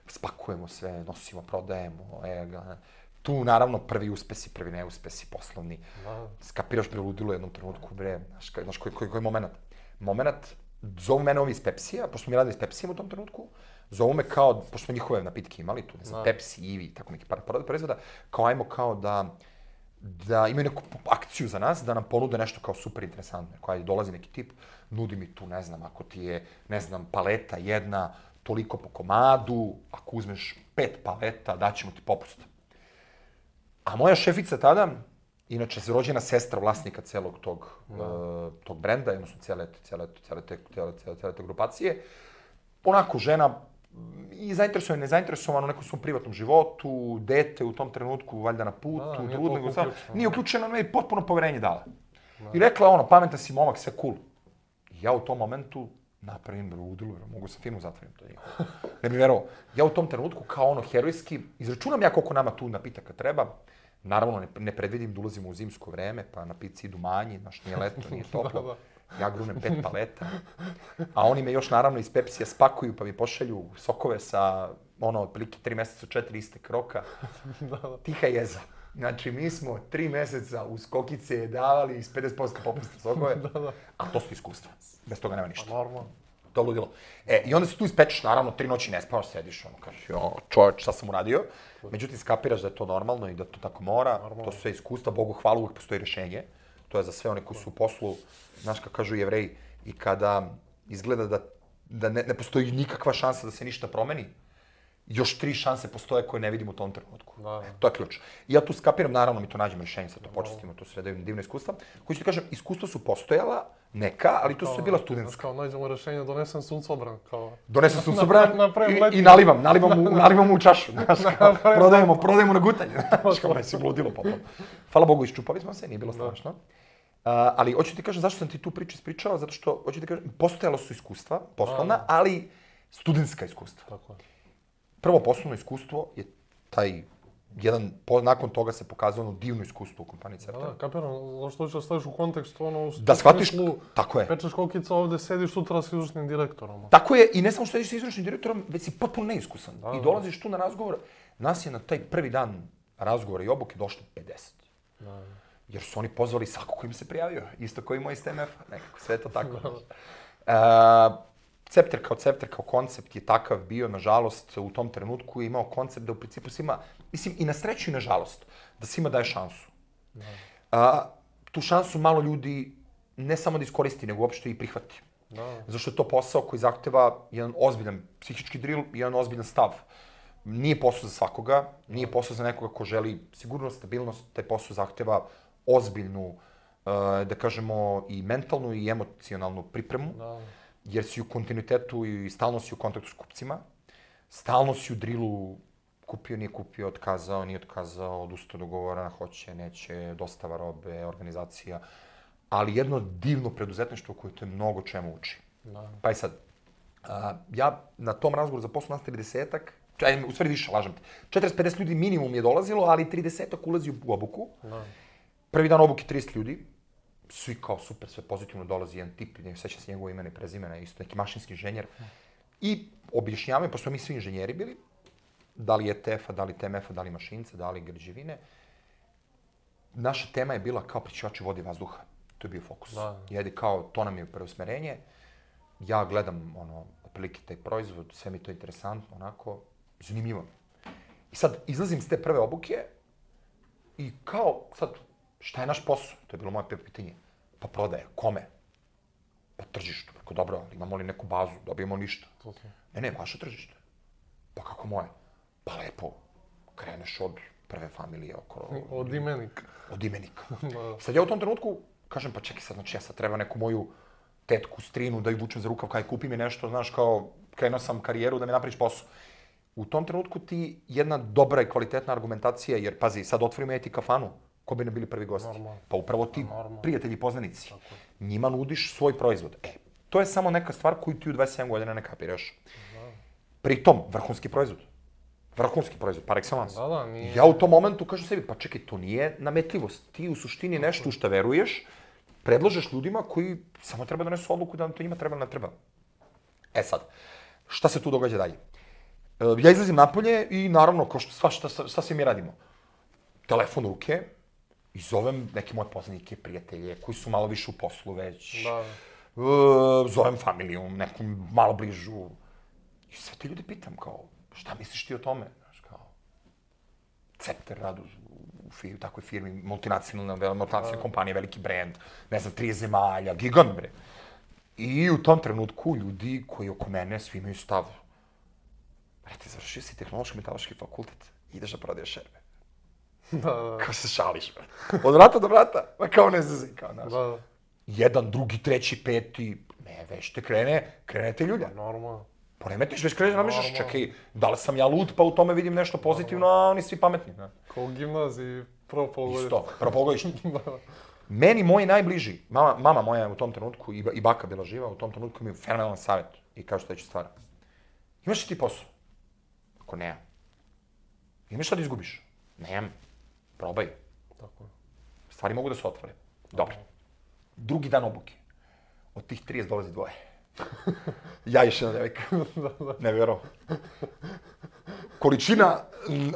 Spakujemo sve, nosimo, prodajemo, e, ga. Tu, naravno, prvi uspesi, prvi neuspesi, poslovni. Da. Skapiraš, bre, ludilo u jednom trenutku, bre, znaš, znaš koji, koji, koji je moment? Moment, zovu mene ovi iz Pepsija, pošto mi radili s Pepsijem u tom trenutku, zovu me kao, pošto smo njihove napitke imali tu, ne znam, Pepsi, Ivi, tako neki par proizvoda, kao ajmo kao da, da imaju neku akciju za nas, da nam ponude nešto kao super interesantno. Kao ajde, dolazi neki tip, nudi mi tu, ne znam, ako ti je, ne znam, paleta jedna, toliko po komadu, ako uzmeš pet paleta, daćemo ti popust. A moja šefica tada inače rođena sestra vlasnika celog tog, uh, tog brenda, odnosno cijele, cijele, cijele, te, cijele, cijele, cijele te grupacije. Onako, žena i zainteresovana i nezainteresovana u nekom svom privatnom životu, dete u tom trenutku, valjda na putu, da, nije trudno, uključeno. Nije uključena, no i potpuno poverenje dala. Da. I rekla ono, pametan si momak, sve cool. I ja u tom momentu napravim ludilo, mogu sa firmu zatvorim, to je njihovo. Ne bi verovao. Ja u tom trenutku, kao ono herojski, izračunam ja koliko nama tu napitaka treba. Naravno, ne, ne predvidim da ulazimo u zimsko vreme, pa na pici idu manji, znaš, nije leto, nije toplo. Da, da. Ja grunem pet paleta. A oni me još, naravno, iz Pepsija spakuju, pa mi pošalju sokove sa, ono, otprilike tri meseca, četiri istek roka. Da, da. Tiha jeza. Znači, mi smo tri meseca uz kokice davali iz pedeset posto popusta sokove, da, da. A to su iskustva. Bez toga nema ništa. Normalno. To je ludilo. E, i onda se tu ispečeš, naravno, tri noći ne spavaš, sediš, ono, kažeš, jo, čovječ, šta sam uradio? Međutim, skapiraš da je to normalno i da to tako mora. Normalno. To su sve iskustva, Bogu hvala, uvijek postoji rješenje. To je za sve one koji su u poslu, znaš kako kažu Jevreji, i kada izgleda da, da ne, ne postoji nikakva šansa da se ništa promeni, još tri šanse postoje koje ne vidim u tom trenutku. Da. To je ključ. I ja tu skapiram, naravno mi to nađemo rješenje, sad to počestimo, to su sve divne iskustva. Koji ću ti kažem, iskustva su postojala, neka, ali to su bila studentska. Kao nađemo rješenje, donesem suncobran, kao... Donesem suncobran i, i nalivam, nalivam u, nalivam u čašu, znaš, kao, prodajemo, prodajemo na gutanje, znaš, kao me si bludilo potom. Hvala Bogu, iščupali smo se, nije bilo strašno. Uh, ali hoću ti kažem zašto sam ti tu priču ispričao, zato što, hoću ti kažem, postojalo su iskustva, poslovna, ali studentska iskustva. Tako je. Prvo poslovno iskustvo je taj jedan, po, nakon toga se pokazalo ono divno iskustvo u kompaniji Certan. Da, kapiram, zašto ću da staviš u kontekstu, ono, u da shvatiš, tako je. Pečeš kokica, ovde sediš sutra s izvršnim direktorom. Tako je, i ne samo što sediš s izvršnim direktorom, već si potpuno neiskusan. Da, I dolaziš tu na razgovor, nas je na taj prvi dan razgovora i obuke došlo pedeset. Da. Jer su oni pozvali svako ko im se prijavio, isto koji moj iz T M F-a, nekako, sve to tako. uh, Cepter kao Cepter, kao koncept je takav bio, nažalost, u tom trenutku je imao koncept da u principu svima, mislim i na sreću i na žalost, da svima daje šansu. Uh, tu šansu malo ljudi ne samo da iskoristi, nego uopšte i prihvati. Da. Zašto je to posao koji zahteva jedan ozbiljan psihički drill i jedan ozbiljan stav. Nije posao za svakoga, nije posao za nekoga ko želi sigurnost, stabilnost, taj posao zahteva ozbiljnu, da kažemo, i mentalnu i emocionalnu pripremu, da. Jer si u kontinuitetu i stalno si u kontaktu s kupcima, stalno si u drilu, kupio, nije kupio, otkazao, nije otkazao, odustao dogovora, hoće, neće, dostava robe, organizacija, ali jedno divno preduzetništvo koje te mnogo čemu uči. Da. Pa i sad, a, ja na tom razgovoru za poslu nas tridesetak, Aj, u stvari više, lažem te. četrdeset pedeset ljudi minimum je dolazilo, ali tridesetak ulazi u obuku. No. Prvi dan obuke trideset ljudi. Svi kao super, sve pozitivno dolazi jedan tip, ne seća se njegovo imena i prezimena, isto neki mašinski inženjer. I objašnjavaju, pošto mi svi inženjeri bili, da li E T F-a, da li T M F-a, da li mašince, da li građevine. Naša tema je bila kao prečišćivači vode i vazduha. To je bio fokus. Da. Jedi kao, to nam je preusmerenje. Ja gledam, ono, otprilike taj proizvod, sve mi to interesantno, onako, zanimljivo. I sad, izlazim s te prve obuke i kao, sad, šta je naš posao? To je bilo moje prvo pitanje. Pa prodaje, kome? Pa tržištu. Rekao, dobro, ali imamo li neku bazu, dobijemo ništa? Ne, ne, vaše tržište. Pa kako moje? Pa lepo, kreneš od prve familije oko... Od imenika. Od imenika. Sad ja u tom trenutku kažem, pa čekaj sad, znači ja sad treba neku moju tetku, strinu da ju vučem za rukav, kaj kupi mi nešto, znaš, kao krenuo sam karijeru da mi napraviš posao. U tom trenutku ti jedna dobra i kvalitetna argumentacija, jer pazi, sad otvorimo ja ti kafanu, ko bi ne bili prvi gosti? Normal. Pa upravo ti Normal. Prijatelji i poznanici. Tako. Njima nudiš svoj proizvod. E, to je samo neka stvar koju ti u dvadeset sedam godina ne kapiraš. Pritom, vrhunski proizvod. Vrhunski proizvod, par excellence. Da, da, nije... Ja u tom momentu kažem sebi, pa čekaj, to nije nametljivost. Ti u suštini nešto u što veruješ, predlažeš ljudima koji samo treba da donesu odluku da nam to njima treba ili ne treba. E sad, šta se tu događa dalje? Ja izlazim napolje i naravno, kao što, sva, šta, šta svi mi radimo? Telefon u ruke i zovem neke moje poznanike, prijatelje, koji su malo više u poslu već. Da. E, zovem familiju, neku malo bližu. I sve te ljudi pitam, kao, šta misliš ti o tome? Znaš, kao, Cepter radu u firmi, takvoj firmi, multinacionalna, multinacionalna kompanija, veliki brand, ne znam, tri zemalja, gigant, bre. I u tom trenutku ljudi koji oko mene svi imaju stav. Brate, završio si tehnološki metalaški fakultet, ideš da prodaješ šerbe. Da, da. Kao se šališ, od vrata do vrata, ma kao ne zezaj, kao naš. Da, da. Jedan, drugi, treći, peti, ne, već te krene, krenete ljulja. Normalno. Poremetiš, već kreneš, namišljaš, čekaj, da li sam ja lud, pa u tome vidim nešto pozitivno, a oni svi pametni. Ne? Kao u gimnaziji, prvo polugodište. Isto, prvo polugodište. Meni, moji najbliži, mama, mama moja je u tom trenutku, i, i baka bila živa, u tom trenutku mi je fenomenalan savjet i kaže sledeću stvar. Imaš li ti posao? Ako ne, imaš šta da izgubiš? Nemam. Probaj. Tako je. Stvari mogu da se otvore. Dobro. Drugi dan obuke. Od tih trideset dolazi dvoje. Ja još jedna devojka. Ne vjerovo. Količina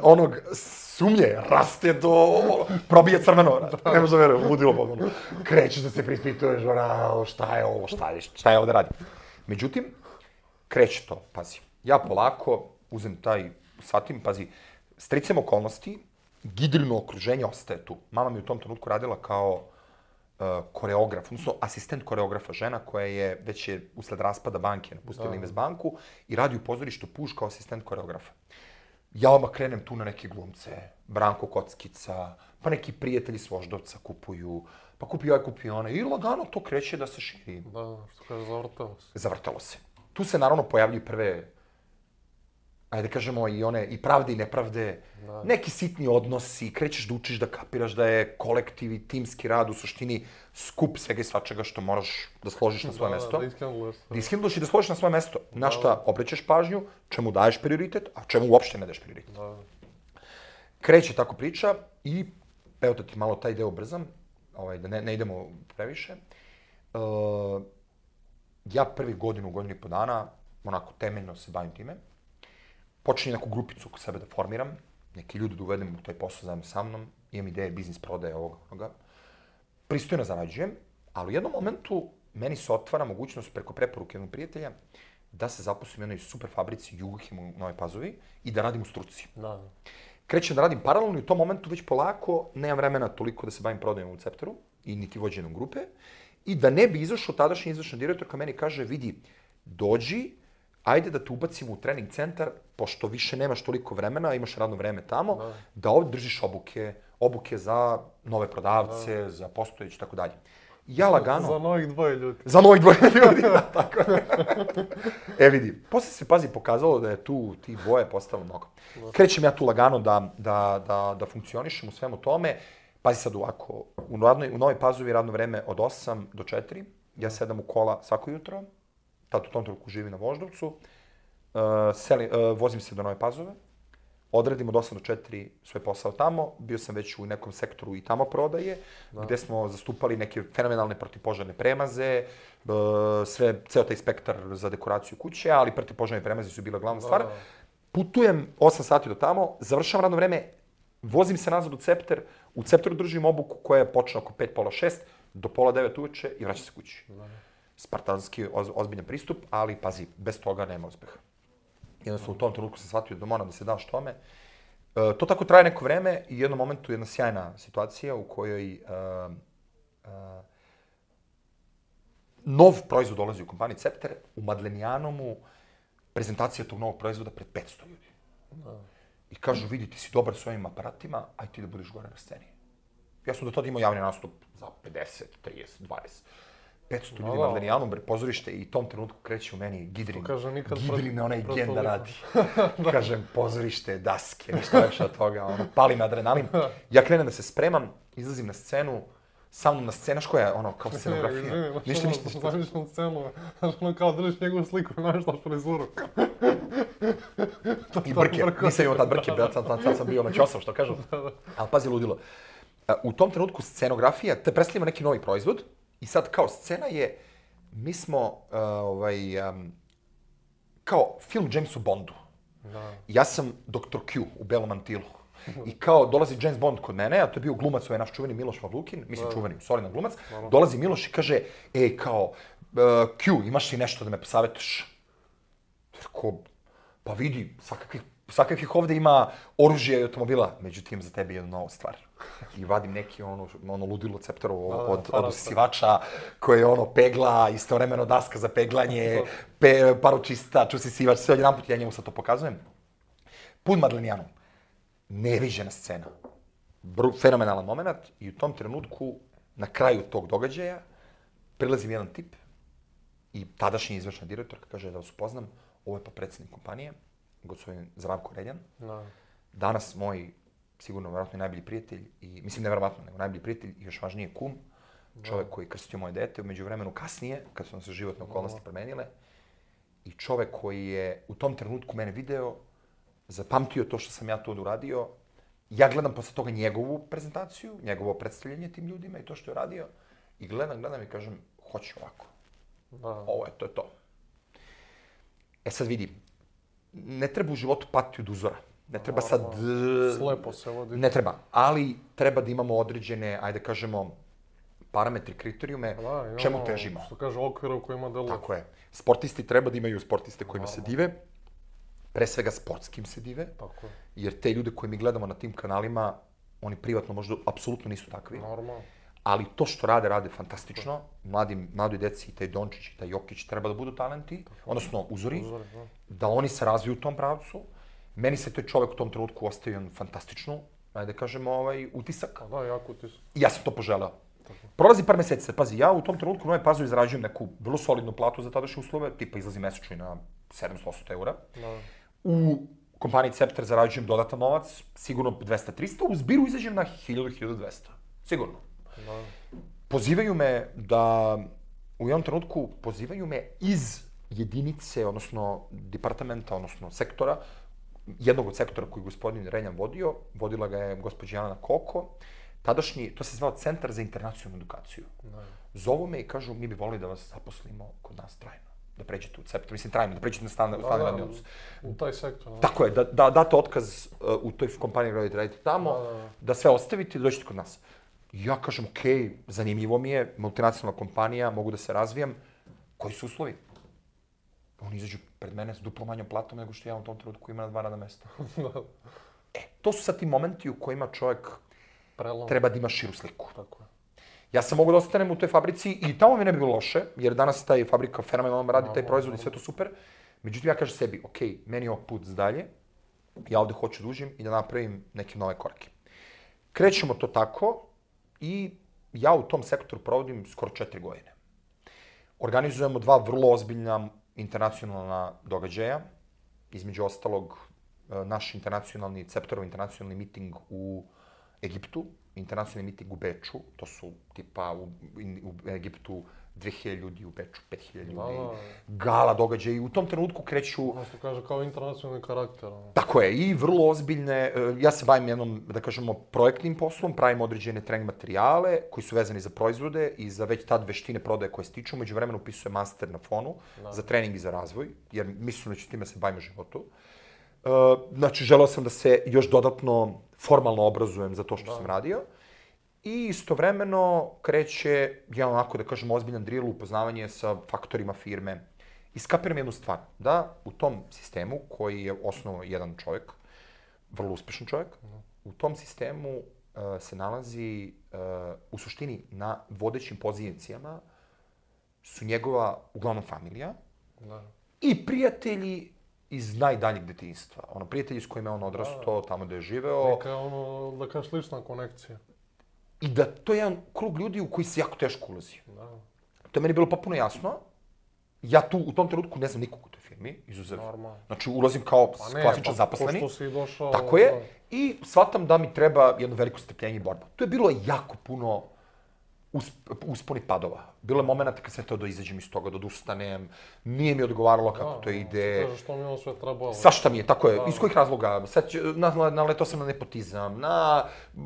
onog sumnje raste do... probije crveno. Ne možda vjerujem, ludilo potpuno. Krećeš da se prispituješ, bravo, šta je ovo, šta je, šta je ovo da radim. Međutim, kreće to, pazi. Ja polako uzem taj, shvatim, pazi, stricem okolnosti, Gidrino okruženje ostaje tu. Mama mi u tom trenutku radila kao uh, koreograf, odnosno asistent koreografa, žena koja je, već je usled raspada banke napustila Invest banku i radi u pozorištu Puš kao asistent koreografa. Ja odmah krenem tu na neke glumce, Branko Kockica, pa neki prijatelji s Voždovca kupuju, pa kupi ovaj, kupi one, i lagano to kreće da se širi. Da, što kaže, zavrtalo se. Zavrtalo se. Tu se naravno pojavljuju prve, ajde da kažemo, i one, i pravde i nepravde, da. Neki sitni odnosi, krećeš da učiš da kapiraš da je kolektiv i timski rad u suštini skup svega i svačega što moraš da složiš na svoje da, mesto. Da, ishendluješ. Da ishendluješ i da složiš na svoje mesto. Na šta obraćaš pažnju, čemu daješ prioritet, a čemu uopšte ne daješ prioritet. Da. Kreće tako priča i, evo da ti malo taj deo brzam, ovaj, da ne, ne idemo previše. Uh, ja prvi godinu, godinu i po dana, onako temeljno se bavim time. Počinjem neku grupicu oko sebe da formiram, neki ljudi da uvedem u taj posao zajedno sa mnom, imam ideje, biznis, prodaje, ovoga, onoga. Pristojno zarađujem, ali u jednom momentu meni se otvara mogućnost preko preporuke jednog prijatelja da se zaposlim u jednoj super fabrici Jugohem u Novoj Pazovi i da radim u struci. Da. Krećem da radim paralelno i u tom momentu već polako nemam vremena toliko da se bavim prodajom u Cepteru i niti vođenom grupe. I da ne bi izašao tadašnji izvršni direktor ka meni kaže, vidi, dođi, ajde da te ubacimo u trening centar, pošto više nemaš toliko vremena, imaš radno vreme tamo, da, da ovdje držiš obuke, obuke za nove prodavce, da. Za postojeći, tako dalje. Ja lagano... Za novih dvoje ljudi. Za novih dvoje ljudi, da, tako. E vidi, posle se, pazi, pokazalo da je tu ti dvoje postalo mnogo. Krećem ja tu lagano da, da, da, da funkcionišem u svemu tome. Pazi sad ovako, u, radnoj, u Novoj Pazovi radno vreme od osam do četiri, ja sedam u kola svako jutro, tad u tom trenutku živim na Voždovcu, uh, seli, uh, vozim se do Nove Pazove, odradim od osam do četiri svoj posao tamo, bio sam već u nekom sektoru i tamo prodaje, da. Gde smo zastupali neke fenomenalne protivpožarne premaze, uh, sve, ceo taj spektar za dekoraciju kuće, ali protivpožarne premaze su bila glavna stvar. Da. Putujem osam sati do tamo, završavam radno vreme, vozim se nazad u Cepter, u Cepteru držim obuku koja je počela oko pet, pola šest, do pola devet uveče i vraćam se kući. Da. Spartanski, oz, ozbiljan pristup, ali pazi, bez toga nema uspeha. Jednostavno u tom trenutku sam shvatio da moram da se daš tome. E, to tako traje neko vreme i u jednom momentu jedna sjajna situacija u kojoj e, e, nov proizvod dolazi u kompaniji Cepter, u Madlenijanomu prezentacija tog novog proizvoda pred petsto ljudi. Da. I kažu, vidi, ti si dobar s ovim aparatima, aj ti da budeš gore na sceni. Ja sam do tada imao javni nastup za pedeset, trideset, dvadeset. petsto ljudi na Madlenijanom, pozorište i tom trenutku kreće u meni Gidrin. Gidrin onaj gen da radi. Kažem, pozorište, daske, ništa više od toga, ono, pali me adrenalin. Ja krenem da se spremam, izlazim na scenu, sa mnom na scena, što je ono, kao scenografija. Ništa, ništa, ništa. Znaš na scenu, znaš ono kao držiš njegovu sliku i namještaš frizuru. I brke, nisam imao tad brke, sad sam bio na ćosav, što kažu. Ali pazi, ludilo. U tom trenutku scenografija te predstavlja neki novi proizvod i sad kao scena je, mi smo uh, ovaj, um, kao film Jamesu Bondu. Da. Ja sam doktor Q u belom mantilu. I kao dolazi James Bond kod mene, a to je bio glumac, ovaj naš čuveni Miloš Pavlukin, mislim čuveni, solidan glumac. Dolazi Miloš i kaže, ej, kao, uh, Q, imaš li nešto da me posavetiš? Tako, pa vidi, svakakvih, svakakvih ovdje ima oružja i automobila, međutim, za tebe je jedna nova stvar. I vadim neki ono, ono ludilo Cepterovo od, od usisivača koje je ono pegla, istovremeno daska za peglanje, pe, paročista, usisivač, sve jedan put ja njemu sad to pokazujem. Pun Madlenijanom. Neviđena scena. Br- fenomenalan moment i u tom trenutku, na kraju tog događaja, prilazi mi jedan tip i tadašnji izvršna direktorka kaže da vas upoznam, ovo je pa predsjednik kompanije, gospodin Zdravko Reljan. Da. Danas moj, sigurno, verovatno najbolji prijatelj, i, mislim ne verovatno, nego najbolji prijatelj i još važnije kum, čovjek koji je krstio moje dete, umeđu vremenu kasnije, kad su nam se životne okolnosti promenile, i čovjek koji je u tom trenutku mene video, zapamtio to što sam ja to uradio. Ja gledam posle toga njegovu prezentaciju, njegovo predstavljanje tim ljudima i to što je radio, i gledam, gledam i kažem, hoću ovako. Da. Ovo je, to je to. E sad vidi, ne treba u životu patiti od uzora. Ne treba sad... Slepo se vodi. Ne treba, ali treba da imamo određene, ajde kažemo, parametri, kriterijume, da, čemu težimo. Što kaže, okvira u kojima deluje. Tako je. Sportisti treba da imaju sportiste kojima se dive, pre svega sportskim se dive, Tako je. jer te ljude koje mi gledamo na tim kanalima, oni privatno možda apsolutno nisu takvi. Normalno. Ali to što rade, rade fantastično. Mladim, mladoj deci, taj Dončić i taj Jokić treba da budu talenti, odnosno uzori, Uzori, da. da oni se razviju u tom pravcu. Meni se taj čovjek u tom trenutku ostavio jedan fantastičnu, ajde da kažemo, ovaj, utisak. A da, jako utisak. I ja sam to poželeo. Prolazi par meseci, pazi, ja u tom trenutku u Novoj Pazovi zarađujem neku vrlo solidnu platu za tadašnje uslove, tipa izlazi mesečno i na sedamsto osamsto eura. Da. U kompaniji Cepter zarađujem dodatan novac, sigurno dvesta triста, u zbiru izađem na hiljadu do hiljadu dvesta. Sigurno. Da. Pozivaju me da, u jednom trenutku, pozivaju me iz jedinice, odnosno departamenta, odnosno sektora, jednog od sektora koji je gospodin Reljan vodio, vodila ga je gospođa Jelena Koko, tadašnji, to se zvao Centar za internacionalnu edukaciju. Da. Zovu me i kažu, mi bi volili da vas zaposlimo kod nas trajno. Da pređete u Cepter, mislim trajno, da pređete na stalni radni odnos. U taj sektor. Da. Tako je, da, da date otkaz uh, u toj kompaniji gdje radite tamo, Da, da, da. da sve ostavite i dođete kod nas. Ja kažem, okej, okay, zanimljivo mi je, multinacionalna kompanija, mogu da se razvijam. Koji su uslovi? Oni izađu pred mene s duplo manjom platom nego što ja u tom trenutku imam na dva radna mesta. E, to su sad ti momenti u kojima čovjek Prelom. treba da ima širu sliku. Tako je. Ja sam mogu da ostanem u toj fabrici i tamo mi ne bi bilo loše, jer danas taj fabrika fenomenalno radi taj proizvod i sve to super. Međutim, ja kažem sebi, ok, meni je ovo put dalje, ja ovde hoću da uđem i da napravim neke nove korake. Krećemo to tako i ja u tom sektoru provodim skoro četiri godine. Organizujemo dva vrlo ozbiljna internacionalna događaja, između ostalog naš internacionalni, Cepterov internacionalni miting u Egiptu, internacionalni miting u Beču, to su tipa u, u Egiptu dve hiljade ljudi, u Beču pet hiljada ljudi, Da, da. gala događaji, u tom trenutku kreću... Ono što kaže kao internacionalni karakter. Ono. Tako je, i vrlo ozbiljne, e, ja se bavim jednom, da kažemo, projektnim poslom, pravim određene trening materijale koji su vezani za proizvode i za već tad veštine prodaje koje stiču, među vremenu upisujem master na fonu Da. za trening i za razvoj, jer mislim da ću time se bavim u životu. E, znači, želeo sam da se još dodatno formalno obrazujem za to što Da. sam radio. I istovremeno kreće, ja onako da kažem, ozbiljan drill, upoznavanje sa faktorima firme. I skapiram jednu stvar, da u tom sistemu, koji je osnovao jedan čovjek, vrlo uspešan čovjek, u tom sistemu uh, se nalazi, uh, u suštini, na vodećim pozicijama su njegova, uglavnom, familija Da. i prijatelji iz najdaljeg detinjstva. Ono, prijatelji s kojima je on odrastao, tamo gde je živeo. Neka ono, da kažeš, slična konekcija. I da to je jedan krug ljudi u koji se jako teško ulazi. Da. To je meni bilo potpuno jasno. Ja tu u tom trenutku ne znam nikog u toj firmi, izuzev. Normalno. Znači, ulazim kao Pa ne, klasičan pa zaposleni. pošto si došao... Tako je. Da. I shvatam da mi treba jedno veliko strpljenje i borba. Tu je bilo jako puno usp usponi padova. Bilo je momenta kad sam teo da izađem iz toga, da odustanem. Nije mi odgovaralo kako Da, to da, ide. Kažeš što mi je ovo sve trebalo. Svašta mi je, tako je. Da. Iz kojih razloga? Sad, će- na, naletao sam na nepotizam, na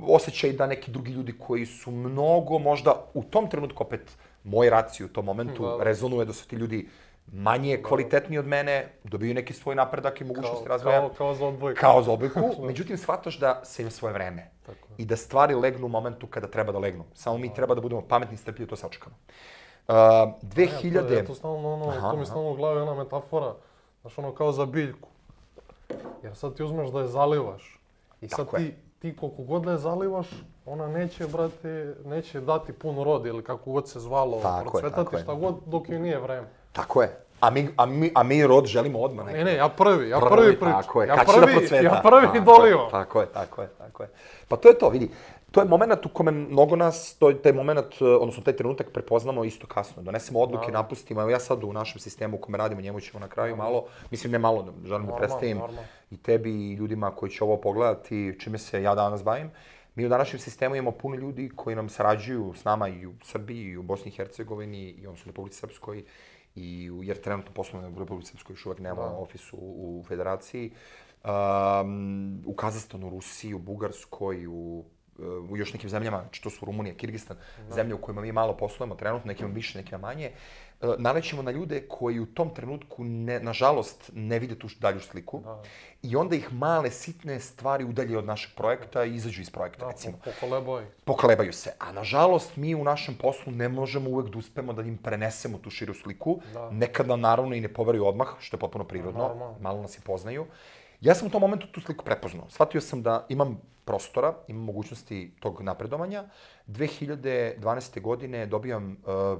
osjećaj da neki drugi ljudi koji su mnogo, možda u tom trenutku opet, moj raciju u tom momentu Da, da. rezonuje da su ti ljudi manje kvalitetni od mene, dobiju neki svoj napredak i mogućnosti Kao, razvoja. kao, kao za odbojku. Kao za odbojku, međutim shvataš da se ima svoje vreme. Tako je. I da stvari legnu u momentu kada treba da legnu. Samo mi treba da budemo pametni i strpljivi, to sačekamo. Uh, dve hiljade... Ja, to, ja to stalno, ono, Aha, to mi aha. stalno u glavi ona metafora, znaš, ono kao za biljku. Jer sad ti uzmeš da je zalivaš. I sad Tako je. ti, ti koliko god da je zalivaš, ona neće, brate, neće dati pun rod ili kako god se zvalo, Tako je, tako procvetati je. šta god dok joj nije vreme. Tako je. A mi, a mi, a mi rod želimo odmah nekako. Ne, ne, ja prvi, ja prvi pričam. Tako je, ja kad prvi, će da procveta. Ja prvi dolio. Tako je, tako je, tako je. Pa to je to, vidi. To je moment u kome mnogo nas, to je taj moment, odnosno taj trenutak prepoznamo isto kasno. Donesemo odluke, napustimo. Evo ja sad u našem sistemu u kome radimo, njemu ćemo na kraju malo, mislim ne malo, želim da predstavim i tebi i ljudima koji će ovo pogledati, čime se ja danas bavim. Mi u današnjem sistemu imamo puno ljudi koji nam sarađuju s nama i u Srbiji, i u Bosni i Hercegovini, i odnosno u Republici Srpskoj, i u, jer trenutno poslovno u Republici Srpskoj još uvek nema ofis u, u federaciji, um, u Kazahstanu, Rusiji, u Bugarskoj, u, u još nekim zemljama, znači to su Rumunija, Kirgistan, da. Zemlje u kojima mi malo poslujemo trenutno, nekima više, nekima manje, uh, nalećemo na ljude koji u tom trenutku, ne, nažalost, ne vide tu dalju sliku. Da. I onda ih male, sitne stvari udalje od našeg projekta i izađu iz projekta, da, recimo. Pokolebaju. Pokolebaju se. A nažalost, mi u našem poslu ne možemo uvek da uspemo da im prenesemo tu širu sliku. Da. Nekada, naravno, i ne poveruju odmah, što je potpuno prirodno. Normalno. Malo nas i poznaju. Ja sam u tom momentu tu sliku prepoznao. Shvatio sam da imam prostora, imam mogućnosti tog napredovanja. dve hiljade dvanaeste. godine dobijam, uh,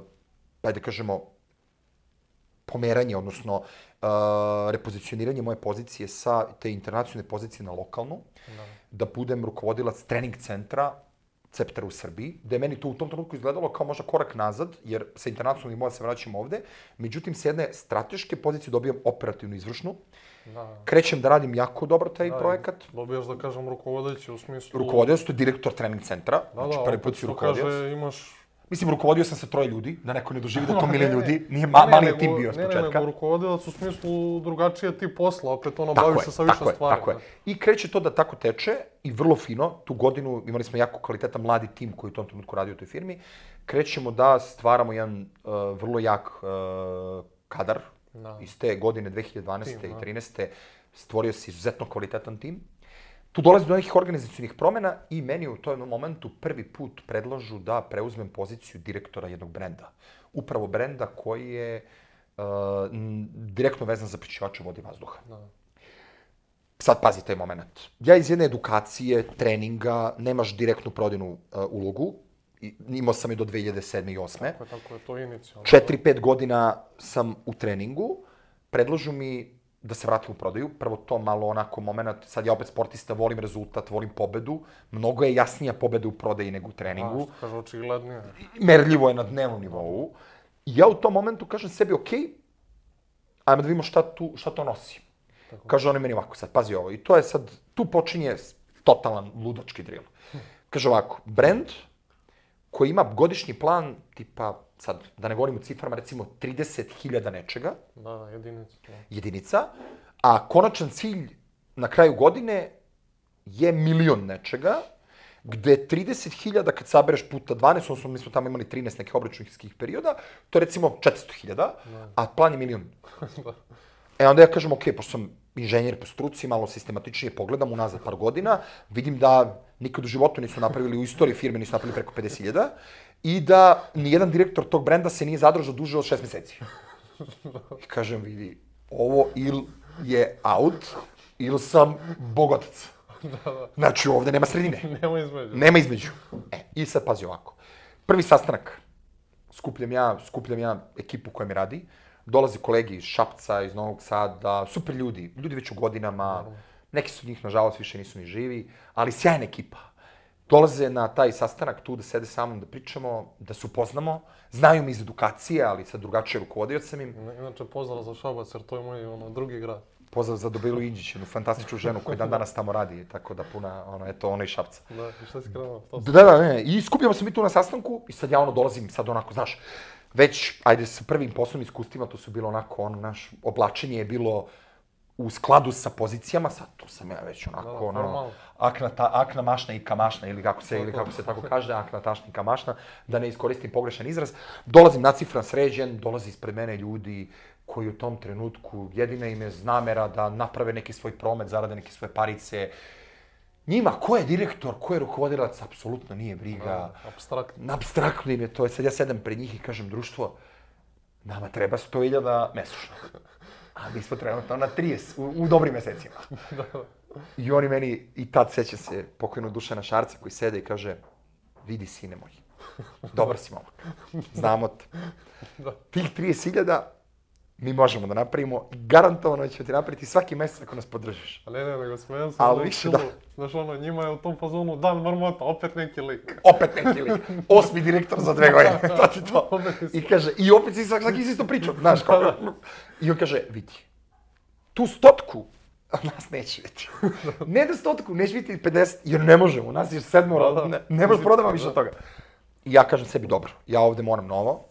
ajde kažemo, pomeranje, odnosno uh, repozicioniranje moje pozicije sa te internacionalne pozicije na lokalnu, da, da budem rukovodilac trening centra Ceptera u Srbiji, da je meni to u tom trenutku izgledalo kao možda korak nazad, jer sa internacionalnih moja se vraćam ovde, međutim, s jedne strateške pozicije dobijam operativnu izvršnu, da. Krećem da radim jako dobro taj da, projekat. Dobijaš, da kažem, rukovodeći u smislu... Rukovodio to je direktor trening centra, da, znači prvi put si rukovodio. Kaže, imaš... Mislim, rukovodio sam sa troje ljudi, da neko ne doživi da to milion ljudi, nije ma, mali je tim bio s početka. Ne, ne, nego rukovodilac u smislu drugačije ti posla, opet ono bavi se sa više stvari. Tako je, tako je. I kreće to da tako teče i vrlo fino, tu godinu imali smo jako kvalitetan mladi tim koji u tom trenutku radi u toj firmi, krećemo da stvaramo jedan uh, vrlo jak uh, kadar, da. Iz te godine dve hiljade dvanaeste. Tim, i dve hiljade trinaeste. stvorio se izuzetno kvalitetan tim. Tu dolazi do nekih organizacijnih promjena i meni u tom momentu prvi put predlažu da preuzmem poziciju direktora jednog brenda. Upravo brenda koji je uh, direktno vezan za prečišćivače vode i vazduha. Da. Sad pazi taj moment. Ja iz jedne edukacije, treninga, nemaš direktnu prodajnu uh, ulogu. I, imao sam je do dve hiljade sedme. i osme. Tako je, tako je, to je inicijalno. četiri pet godina sam u treningu. Predlažu mi da se vratim u prodaju. Prvo to malo onako moment, sad ja opet sportista, volim rezultat, volim pobedu. Mnogo je jasnija pobeda u prodaji nego u treningu. A, što kaže, očiglednije. Merljivo je na dnevnom nivou. I ja u tom momentu kažem sebi, ok, ajmo da vidimo šta, tu, šta to nosi. Tako. Kaže on meni ovako, sad pazi ovo. I to je sad, tu počinje totalan ludački drill. Kaže ovako, brand koji ima godišnji plan, tipa, sad, da ne govorim u ciframa, recimo trideset hiljada nečega. Da, da, jedinica. Da. Jedinica. A konačan cilj na kraju godine je milion nečega, gde trideset hiljada kad sabereš puta dvanaest, odnosno mi smo tamo imali trinaest nekih obračunskih perioda, to je recimo četiristo hiljada, a plan je milion. E onda ja kažem, ok, pošto sam inženjer po struci, malo sistematičnije pogledam unazad par godina, vidim da nikad u životu nisu napravili, u istoriji firme nisu napravili preko pedeset hiljada i da nijedan direktor tog brenda se nije zadržao duže od šest meseci. I kažem, vidi, ovo il je out, ili sam bogotac. Znači, ovde nema sredine. Nema između. Nema između. E, i sad pazi ovako. Prvi sastanak. Skupljam ja, skupljam ja ekipu koja mi radi. Dolazi kolegi iz Šapca, iz Novog Sada, super ljudi, ljudi već u godinama, neki su njih, nažalost, više nisu ni živi, ali sjajna ekipa. Dolaze na taj sastanak tu da sede sa mnom, da pričamo, da se upoznamo, znaju mi iz edukacije, ali sad drugačije rukovodio sam im. Inače, pozdrav za Šabac, jer to je moj ono, drugi grad. Pozdrav za Dobilu Indžić, jednu fantastičnu ženu koja dan danas tamo radi, tako da puna, ono, eto, ona iz Šapca. Da, i šta si krenuo? Da, da, ne, i skupljamo se mi tu na sastanku i sad ja ono dolazim, sad onako, znaš, već, ajde, sa prvim poslovnim iskustvima, to su bilo onako, ono, naš, oblačenje je bilo u skladu sa pozicijama, sad tu sam ja već onako, da, ono, akna, ta, akna mašna i kamašna, ili kako se, ili kako se tako kaže, akna tašna i kamašna, da ne iskoristim pogrešan izraz. Dolazim nacifran, sređen, dolazi ispred mene ljudi koji u tom trenutku jedina im je namera da naprave neki svoj promet, zarade neke svoje parice. Njima, ko je direktor, ko je rukovodilac, apsolutno nije briga. Apstraktno. Apstraktno im je to. Sad ja sedam pred njih i kažem, društvo, nama treba sto hiljada mesečno. A mi smo trenutno na trideset, u, u dobrim mesecima. I oni meni, i tad seća se pokojnog Dušana Šarca koji sede i kaže, vidi sine moj, dobar si momak, znamo te. Tih trideset hiljada mi možemo da napravimo, garantovano ćemo ti napraviti svaki mesec ako nas podržiš. A ne, ne, nego smijem se ali više da. Znaš ono, njima je u tom fazonu dan marmota, opet neki lik. Opet neki lik. Osmi direktor za dve godine, to ti to. I kaže, i opet si svaki si isto pričao, znaš kako. I on kaže, vidi, tu stotku nas neće biti. Ne da stotku, neće biti pedeset, jer ne možemo, nas je sedmoro, ne, ne možemo prodavati više od toga. I ja kažem sebi, dobro, ja ovde moram novo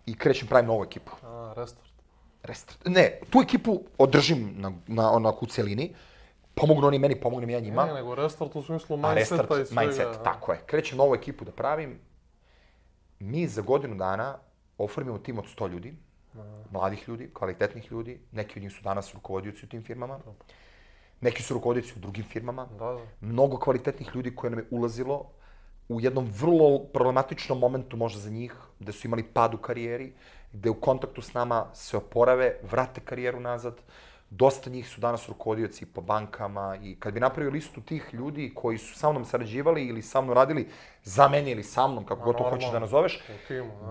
i krećem pravim novu ekipu. A, restart. Restart. Ne, tu ekipu održim na, na onako u cijelini, pomognu oni meni, pomognem ja njima. Ne, nego restart u smislu mindseta i svega. Mindset, tako je. Krećem novu ekipu da pravim. Mi za godinu dana oformimo tim od sto ljudi, mladih ljudi, kvalitetnih ljudi, neki od njih su danas rukovodioci u tim firmama, neki su rukovodioci u drugim firmama, da, da. Mnogo kvalitetnih ljudi koje nam je ulazilo u jednom vrlo problematičnom momentu možda za njih, gde su imali pad u karijeri, gde u kontaktu s nama se oporave, vrate karijeru nazad. Dosta njih su danas rukovodioci po bankama i kad bi napravio listu tih ljudi koji su sa mnom sarađivali ili sa mnom radili za mene ili sa mnom, kako god to hoćeš da nazoveš,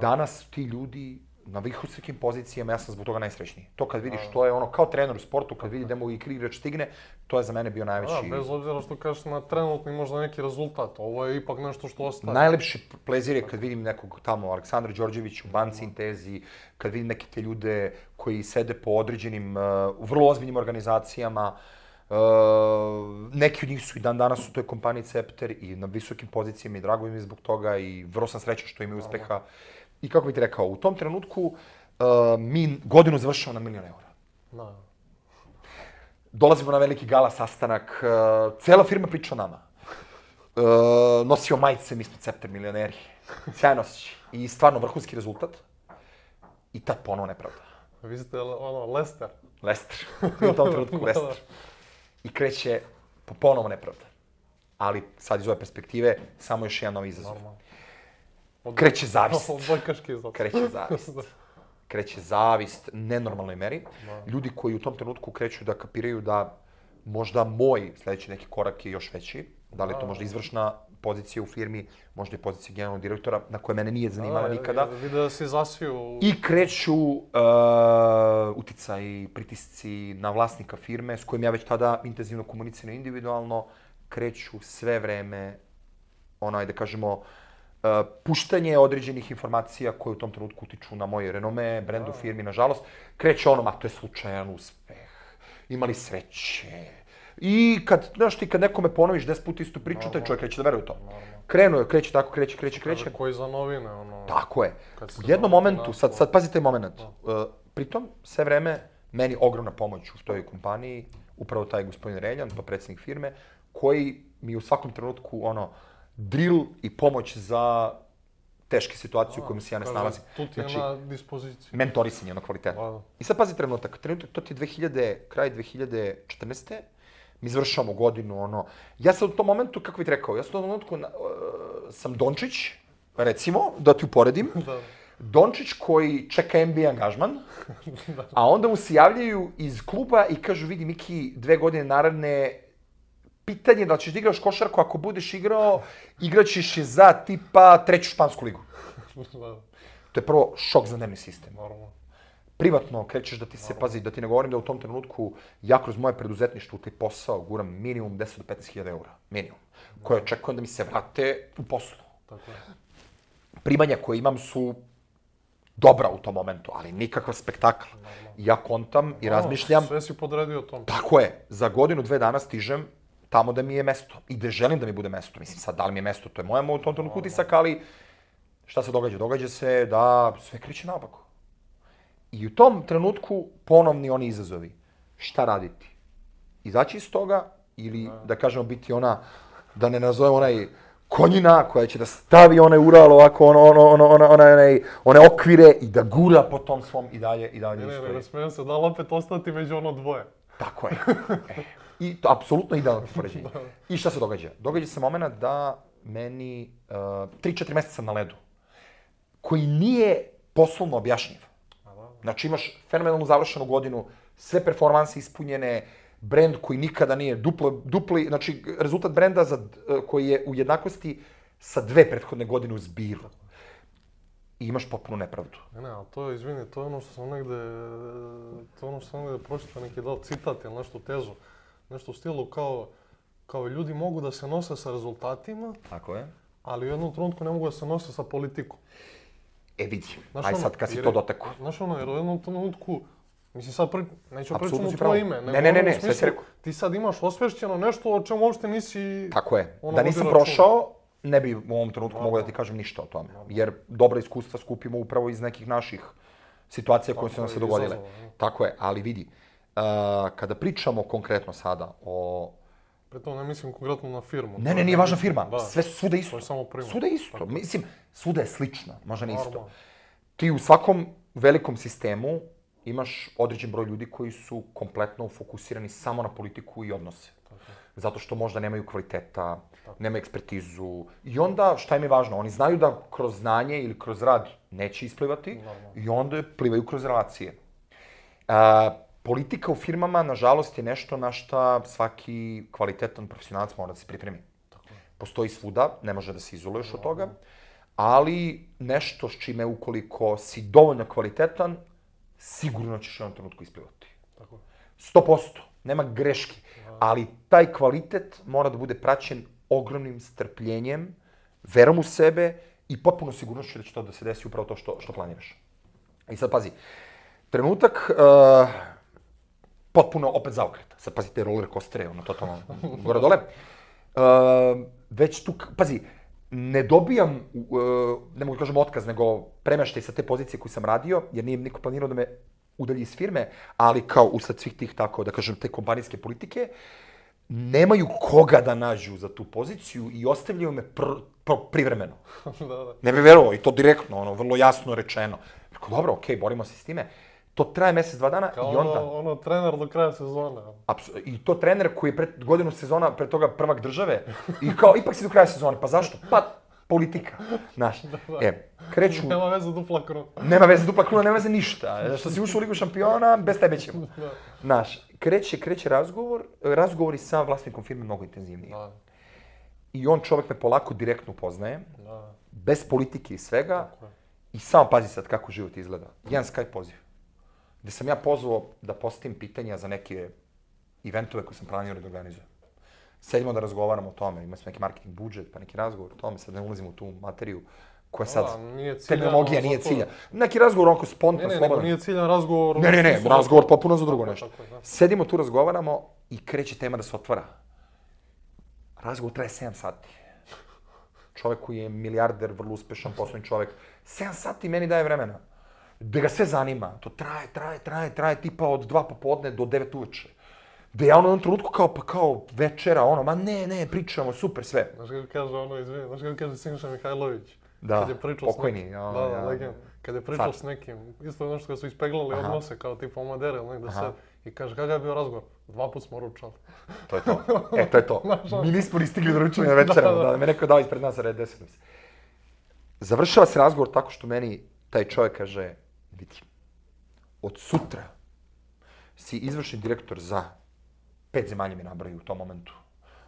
danas ti ljudi na visokim pozicijama, ja sam zbog toga najsrećniji. To kad vidiš, to je ono kao trener u sportu, kad vidi da mu i igrač stigne, to je za mene bio najveći... Da, bez obzira što kažeš na trenutni možda neki rezultat, ovo je ipak nešto što ostaje. Najlepši plezir je kad vidim nekog tamo, Aleksandra Đorđević u banci Intezi, kad vidim neke te ljude koji sede po određenim, u vrlo ozbiljnim organizacijama, neki od njih su i dan danas u toj kompaniji Cepter i na visokim pozicijama i drago mi je zbog toga i vrlo sam srećan što imaju uspeha. I kako bih ti rekao, u tom trenutku uh, mi godinu završamo na milion eura. Da. Dolazimo na veliki gala sastanak, uh, cela firma priča o nama. Uh, nosio majice, mi smo Cepter milioneri. Sjajno osjećaj. I stvarno vrhunski rezultat. I tad ponovo nepravda. Vi ste ono, Lester. Lester. U tom trenutku Lester. I kreće ponovo nepravda. Ali sad iz ove perspektive, samo još jedan novi izazov. Normalno. Kreće zavist. Kreće zavist. Kreće zavist nenormalnoj meri. Ljudi koji u tom trenutku kreću da kapiraju da možda moj sljedeći neki korak je još veći. Da li je to možda izvršna pozicija u firmi, možda i pozicija generalnog direktora, na koje mene nije zanimala nikada. Vide da si zasvio... I kreću uticaji, pritisci na vlasnika firme, s kojim ja već tada intenzivno komuniciram individualno, kreću sve vreme, onaj da kažemo, puštanje određenih informacija koje u tom trenutku utiču na moje renome, brend u firmi, nažalost, kreće ono, ma to je slučajan uspeh, imali sreće. I kad, znaš ti, kad nekome ponoviš deset puta istu priču, taj čovjek kreće da veruje u to. Krenuo je, kreće tako, kreće, kreće, kreće. Koji za novine, ono... Tako je. U jednom momentu, sad, sad pazi taj moment, pritom, sve vreme, meni ogromna pomoć u toj kompaniji, upravo taj gospodin Reljan, pa predsjednik firme, koji mi u svakom trenutku, ono, drill i pomoć za teške situacije u kojima se ja ne snalazim. Tu ti je na dispoziciji. Mentorisanje, ono kvalitetno. I sad pazi trenutak, trenutak, to ti je dve hiljade, kraj dve hiljade četrnaeste. Mi završavamo godinu, ono... Ja sam u tom momentu, kako bih rekao, ja sam u tom momentu sam Dončić, recimo, da ti uporedim. Dončić koji čeka N B A angažman, a onda mu se javljaju iz kluba i kažu, vidi Miki, dve godine naravne, pitanje je da ćeš da igraš košarku, ako budeš igrao, igraćeš je za tipa treću špansku ligu. To je prvo šok za nervni sistem. Privatno krećeš da ti se pazi, da ti ne govorim da u tom trenutku ja kroz moje preduzetništvo u taj posao guram minimum deset do petnaest hiljada eura. Minimum. Koje očekujem da mi se vrate u poslu. Primanja koje imam su dobra u tom momentu, ali nikakav spektakl. Ja kontam i razmišljam... Sve si podredio tom. Tako je. Za godinu, dve dana stižem tamo da mi je mesto. I da želim da mi bude mesto. Mislim, sad, da li mi je mesto, to je moja u tom trenutku utisak, ali šta se događa? Događa se da sve kreće naopako. I u tom trenutku ponovni oni izazovi. Šta raditi? Izaći iz toga ili, da kažemo, biti ona, da ne nazovem onaj konjina koja će da stavi onaj Ural ovako, ono, ono, ono, ono, onaj, one okvire i da gura po tom svom i dalje, i dalje istoji. Ne, ne, ne, smijem se, da li opet ostati među ono dvoje? Tako je. E. I to apsolutno idealno poređenje. I šta se događa? Događa se moment da meni tri četiri mjeseca na ledu, koji nije poslovno objašnjiv. Znači imaš fenomenalnu završenu godinu, sve performanse ispunjene, brend koji nikada nije duplo, dupli, znači rezultat brenda za, koji je u jednakosti sa dve prethodne godine u zbiru. i imaš potpunu nepravdu. Ne, ne, ali to je, izvini, to je ono što sam negde, to je ono što sam negde pročitao, neki dao citat ili nešto tezu, nešto u stilu kao, kao ljudi mogu da se nose sa rezultatima, Tako je. ali u jednom trenutku ne mogu da se nose sa politikom. E vidi, Znaš aj ono, sad kad si jer to je- dotekao. Znaš ono, jer u jednom trenutku, mislim sad pri, neću Apsolutno pričati u si tvoje pravo. ime, Ne, nego ne, ne, ono u ne, sve si smislu, rekao. ti sad imaš osvešćeno nešto o čemu uopšte nisi... Tako je. ono, Da nisam vodi računa. prošao, ne bi u ovom trenutku Da, mogao da da. ti kažem ništa o tome. Jer dobra iskustva skupimo upravo iz nekih naših situacija koje su Tako nam je, se dogodile. izazova, ne. Tako je, ali vidi, uh, kada pričamo konkretno sada o... Pri tom ne mislim konkretno na firmu. Ne, to ne, je nije važna nebitno, firma, da. sve svuda isto. To je samo primer. Svuda isto, Tako. mislim, svuda je slično, možda ne isto. Normalno. Ti u svakom velikom sistemu imaš određen broj ljudi koji su kompletno fokusirani samo na politiku i odnose. Zato što možda nemaju kvaliteta, nemaju ekspertizu. I onda, šta im je važno? Oni znaju da kroz znanje ili kroz rad neće isplivati Normalno. i onda plivaju kroz relacije. A, politika u firmama, nažalost, je nešto na šta svaki kvalitetan profesionalac mora da se pripremi. Postoji svuda, ne može da se izoluješ od toga, ali nešto s čime ukoliko si dovoljno kvalitetan, sigurno ćeš u jednom trenutku isplivati. Tako. sto posto, nema greški, ali taj kvalitet mora da bude praćen ogromnim strpljenjem, verom u sebe i potpuno sigurnošću da će to da se desi upravo to što, što planiraš. I sad pazi, trenutak uh, potpuno opet zaokret. Sad pazi te roller coastere, ono totalno gore dole. Uh, već tu, pazi, ne dobijam, uh, ne mogu da kažem otkaz, nego premeštaj sa te pozicije koju sam radio, jer nije niko planirao da me udalji iz firme, ali kao usled svih tih, tako da kažem, te kompanijske politike, nemaju koga da nađu za tu poziciju i ostavljaju me pr, pr, privremeno. da, da. Ne bi verovao, i to direktno, ono, vrlo jasno rečeno. Rekao, dobro, okej, borimo se s time. To traje mjesec, dva dana Kao i onda... ono, ono trener do kraja sezone. Apsu- I to trener koji je pred godinu sezona, pred toga prvak države, i kao, ipak si do kraja sezone, pa zašto? Pa, politika, znaš. E, kreću, Nema veze dupla kruna. nema veze dupla kruna, nema veze ništa. Što si ušao u Ligu šampiona, bez tebe ćemo. Da. Znaš, kreće, kreće razgovor, razgovori sa vlasnikom firme mnogo intenzivniji. Da, I on čovjek me polako direktno upoznaje, da. bez politike i svega, Tako je. i samo pazi sad kako život izgleda. Jedan Skype poziv, gde sam ja pozvao da postavim pitanja za neke eventove koje sam planirao da organizujem. Sedimo da razgovaramo o tome, imali smo neki marketing budžet, pa neki razgovor o tome, sad ne ulazimo u tu materiju koja sad, Da, nije ciljano terminologija za nije to. cilja. Neki razgovor onako Ne, spontan, ne, nego slobodan. nije ciljan razgovor. Ne, ne, ne, Nisu razgovor potpuno za drugo Tako je, nešto. tako je, da. Sedimo tu, razgovaramo i kreće tema da se otvara. Razgovor traje sedam sati. Čovjek koji je milijarder, vrlo uspešan poslovni čovjek, sedam sati meni daje vremena. Da ga sve zanima. To traje, traje, traje, traje, tipa od dva popodne do devet uveče. Da ja ono u jednom trenutku kao, pa kao večera, ono, ma ne, ne, pričamo, super, sve. Znaš kako kaže ono, izvini, znaš kako kaže Siniša Mihajlović? Da, Kad je pričao s pokojni, nekim- ja, da, da, ja. legend. Kad je pričao Car. s nekim, isto nešto kad su ispeglali Aha. odnose kao tipa Omadere ili negde Aha. sad. I kaže, kakav je bio razgovor? Dva put smo ručali. To je to. E, to je to. Znaš, ono- Mi nismo ni stigli do ručanja večera, Da, da, da. da me neko dao ispred nas, red deset. Završava se razgovor tako što meni taj čovjek kaže, vidi, od sutra si izvršni direktor za pet zemalja mi nabraju u tom momentu.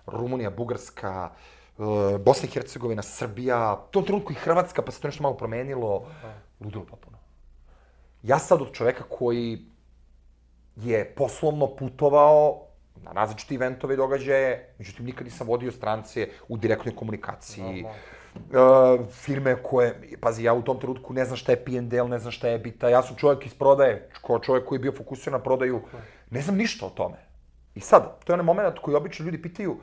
Rumunija, Bugarska, e, Bosna i Hercegovina, Srbija, u tom trenutku i Hrvatska, pa se to nešto malo promenilo. Ludilo potpuno. Ja sad od čoveka koji je poslovno putovao na različite eventove i događaje, međutim nikad nisam vodio strance u direktnoj komunikaciji. Uh, firme koje, pazi, ja u tom trenutku ne znam šta je P and L, ne znam šta je EBITDA, ja sam čovjek iz prodaje, kao čovjek koji je bio fokusiran na prodaju, ne znam ništa o tome. I sad, to je onaj moment koji obično ljudi pitaju,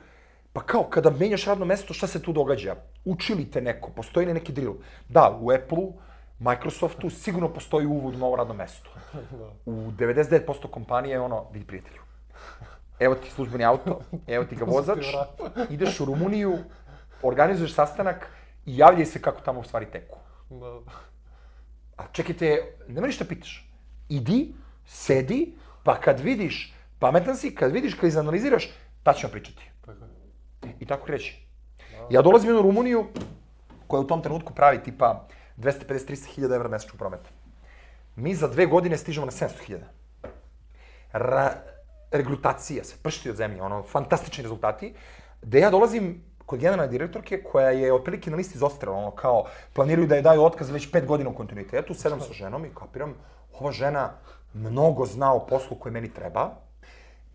pa kao kada menjaš radno mesto, šta se tu događa? Uči li te neko? Postoji li neki drill? Da, u Apple-u, Microsoftu sigurno postoji uvod u novo radno mesto. U devedeset devet posto kompanije je ono, vidi prijatelju, evo ti službeni auto, evo ti ga vozač, ideš u Rumuniju, organizuješ sastanak i javljaj se kako tamo u stvari teku. Da. A čekajte, nema ništa pitaš. Idi, sedi, pa kad vidiš, pametan si, kad vidiš, kad izanaliziraš, ta ćemo pričati. Tako je. I tako kreće. Ja dolazim u jednu Rumuniju koja u tom trenutku pravi tipa dvesta pedeset do trista hiljada evra mesečnog prometa. Mi za dve godine stižemo na sedamsto hiljada. Ra regrutacija se pršti od zemlje, ono, fantastični rezultati. Da ja dolazim kod generalne direktorke koja je otprilike na listi izostrela, ono kao planiraju da je daju otkaz već pet godina u kontinuitetu, sedam sa ženom i kapiram, ova žena mnogo zna o poslu koji meni treba,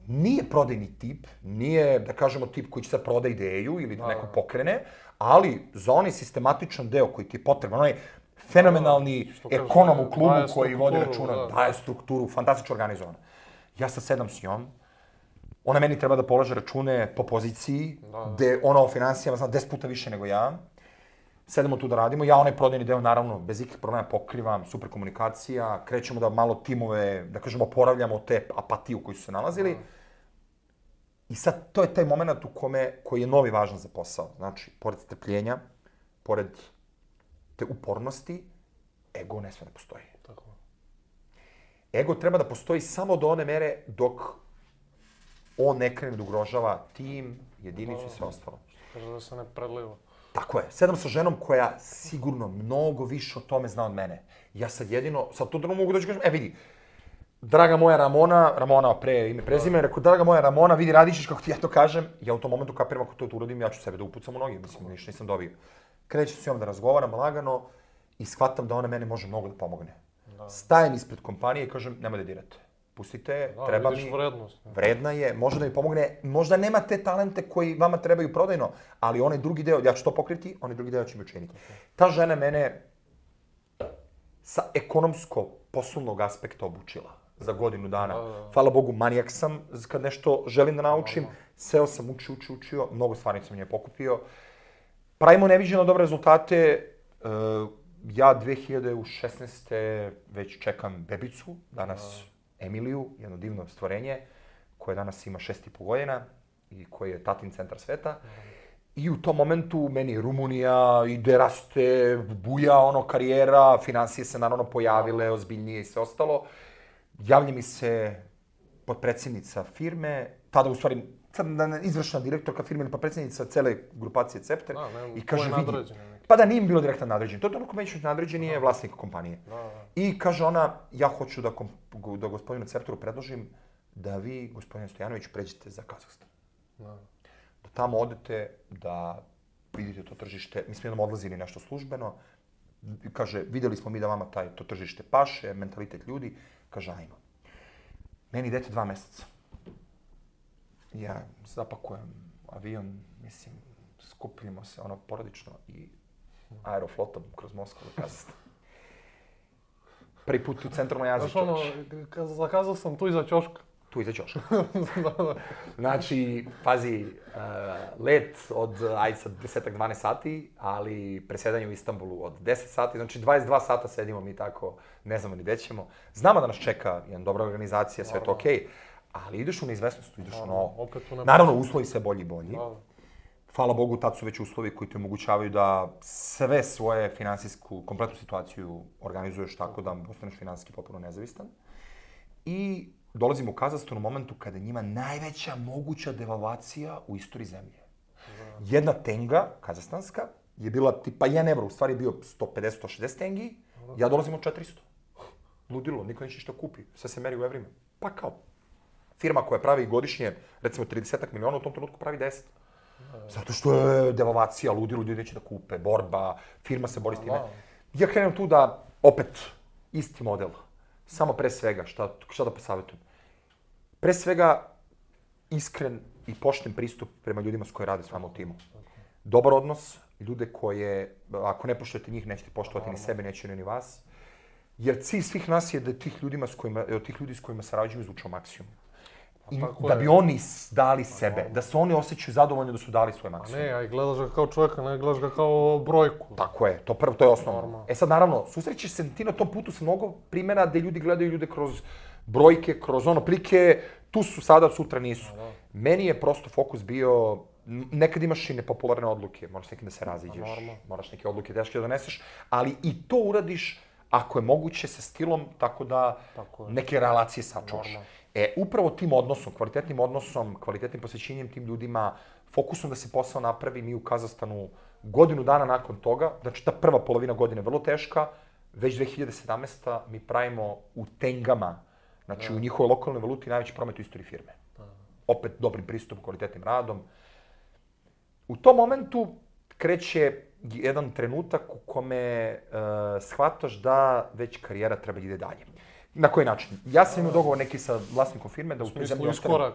nije prodajni tip, nije, da kažemo, tip koji će sad proda ideju ili da neko pokrene, ali za onaj sistematičan deo koji ti je potreban, onaj fenomenalni ekonom u klubu koji vodi računa, daje strukturu, fantastično organizovana. Ja sad sedam s njom, ona meni treba da polaže račune po poziciji, gde ona o financijama zna deset puta više nego ja. Sedemo tu da radimo, ja onaj prodajni deo naravno bez ikakvih problema pokrivam, super komunikacija, krećemo da malo timove, da kažemo, oporavljamo te apatije u kojoj su se nalazili. I sad to je taj moment u kome, koji je novi važan za posao. Znači, pored strpljenja, pored te upornosti, ego ne sve ne postoji. Tako. Ego treba da postoji samo do one mere dok on ne krene da ugrožava tim, jedinicu i sve ostalo. Kaže da se ne preliva. Tako je. Sedam sa ženom koja sigurno mnogo više o tome zna od mene. Ja sad jedino, sad to da mogu da ću kažem, e vidi, draga moja Ramona, Ramona pre ime prezime, rekao, draga moja Ramona, vidi, radiš kako ti ja to kažem, ja u tom momentu kapiram ako to uradim, ja ću sebe da upucam u noge, mislim, ništa nisam dobio. Krećem s njom da razgovaram lagano i shvatam da ona mene može mnogo da pomogne. Stajem ispred kompanije i kažem, nemoj da dirate. Pustite je, treba mi, vredna je, može da mi pomogne, možda nema te talente koji vama trebaju prodajno, ali onaj drugi deo, ja ću to pokriti, onaj drugi deo ću mi učiniti. Ta žena mene sa ekonomsko-poslovnog aspekta obučila za godinu dana. Hvala Bogu, manijak sam kad nešto želim da naučim, seo sam, uči, uči, učio, mnogo stvari sam nje pokupio. Pravimo neviđeno dobre rezultate. Ja dve hiljade šesnaeste. već čekam bebicu, danas Emiliju, jedno divno stvorenje, koje danas ima šest i po godina i koji je tatin centar sveta. I u tom momentu meni Rumunija ide, raste, buja ono karijera, finansije se naravno pojavile, ozbiljnije i sve ostalo. Javlja mi se potpredsjednica firme, tada u stvari izvršna direktorka firme ili potpredsjednica cele grupacije Cepter i kaže vidi, pa da nije bilo direktan nadređen, to je ono ko među nadređen je vlasnik kompanije. I kaže ona, ja hoću da, da gospodinu Cepteru predložim da vi, gospodine Stojanović, pređete za Kazahstan. Da tamo odete, da vidite to tržište, mi smo jednom odlazili nešto službeno, kaže, vidjeli smo mi da vama taj, to tržište paše, mentalitet ljudi, kaže, ajmo. Meni idete dva meseca. Ja zapakujem avion, mislim, skupljimo se ono porodično i aeroflotom kroz Moskvu do Kazahstana. Prvi put u centralnoj Aziji, čovječ. Znaš ono, zakazao sam tu iza ćoška. Tu iza ćoška. Znači, pazi, let od, ajde sad, desetak dvanaest sati, ali presedanje u Istanbulu od deset sati, znači dvadeset dva sata sedimo mi tako, ne znamo ni gde ćemo. Znamo da nas čeka jedna dobra organizacija, sve je to okej, ali ideš u neizvesnost, ideš u novo. Naravno, uslovi sve bolji i bolji. Hvala Bogu, tad su već uslovi koji te omogućavaju da sve svoje finansijsku, kompletnu situaciju organizuješ tako da postaneš finansijski potpuno nezavistan. I dolazimo u Kazahstan u momentu kada je njima najveća moguća devalvacija u istoriji zemlje. Jedna tenga, kazahstanska, je bila tipa jedan evro, u stvari je bio sto pedeset do sto šezdeset tengi, ja dolazim od četiristo. Ludilo, niko neće ništa kupi, sve se meri u evrima. Pa kao, firma koja pravi godišnje, recimo trideset miliona, u tom trenutku pravi deset. Zato što je devalvacija, ludilo, ljudi neće da kupe, borba, firma se bori s time. Ja krenem tu da, opet, isti model. Samo pre svega, šta, šta da posavjetujem? Pre svega, iskren i pošten pristup prema ljudima s koji rade s vama u timu. Dobar odnos, ljude koje, ako ne poštujete njih, nećete poštovati ni sebe, neće ni vas. Jer cilj svih nas je da tih, ljudima s kojima, od tih ljudi s kojima sarađuju izvučemo maksimum. I da bi oni dali sebe, da se oni osjećaju zadovoljni da su dali svoj maksimum. A ne, a i gledaš ga kao čovjeka, ne gledaš ga kao brojku. Tako je, to prvo, to je osnovno. E sad, naravno, susrećeš se ti na tom putu sa mnogo primjera gde ljudi gledaju ljude kroz brojke, kroz ono plike, tu su sada, sutra nisu. Meni je prosto fokus bio, nekad imaš i nepopularne odluke, moraš s nekim da se raziđeš, moraš neke odluke teške da doneseš, ali i to uradiš ako je moguće sa stilom, tako da neke relacije sačuvaš. E, upravo tim odnosom, kvalitetnim odnosom, kvalitetnim posvećenjem tim ljudima, fokusom da se posao napravi, mi u Kazahstanu godinu dana nakon toga, znači ta prva polovina godine je vrlo teška, već dve hiljade sedamnaeste. mi pravimo u tengama, znači u njihovoj lokalnoj valuti najveći promet u istoriji firme. Opet dobrim pristupom, kvalitetnim radom. u tom momentu kreće jedan trenutak u kome uh, shvataš da već karijera treba da ide dalje. Na koji način? Ja sam imao dogovor neki sa vlasnikom firme da u toj zemlji ostanem.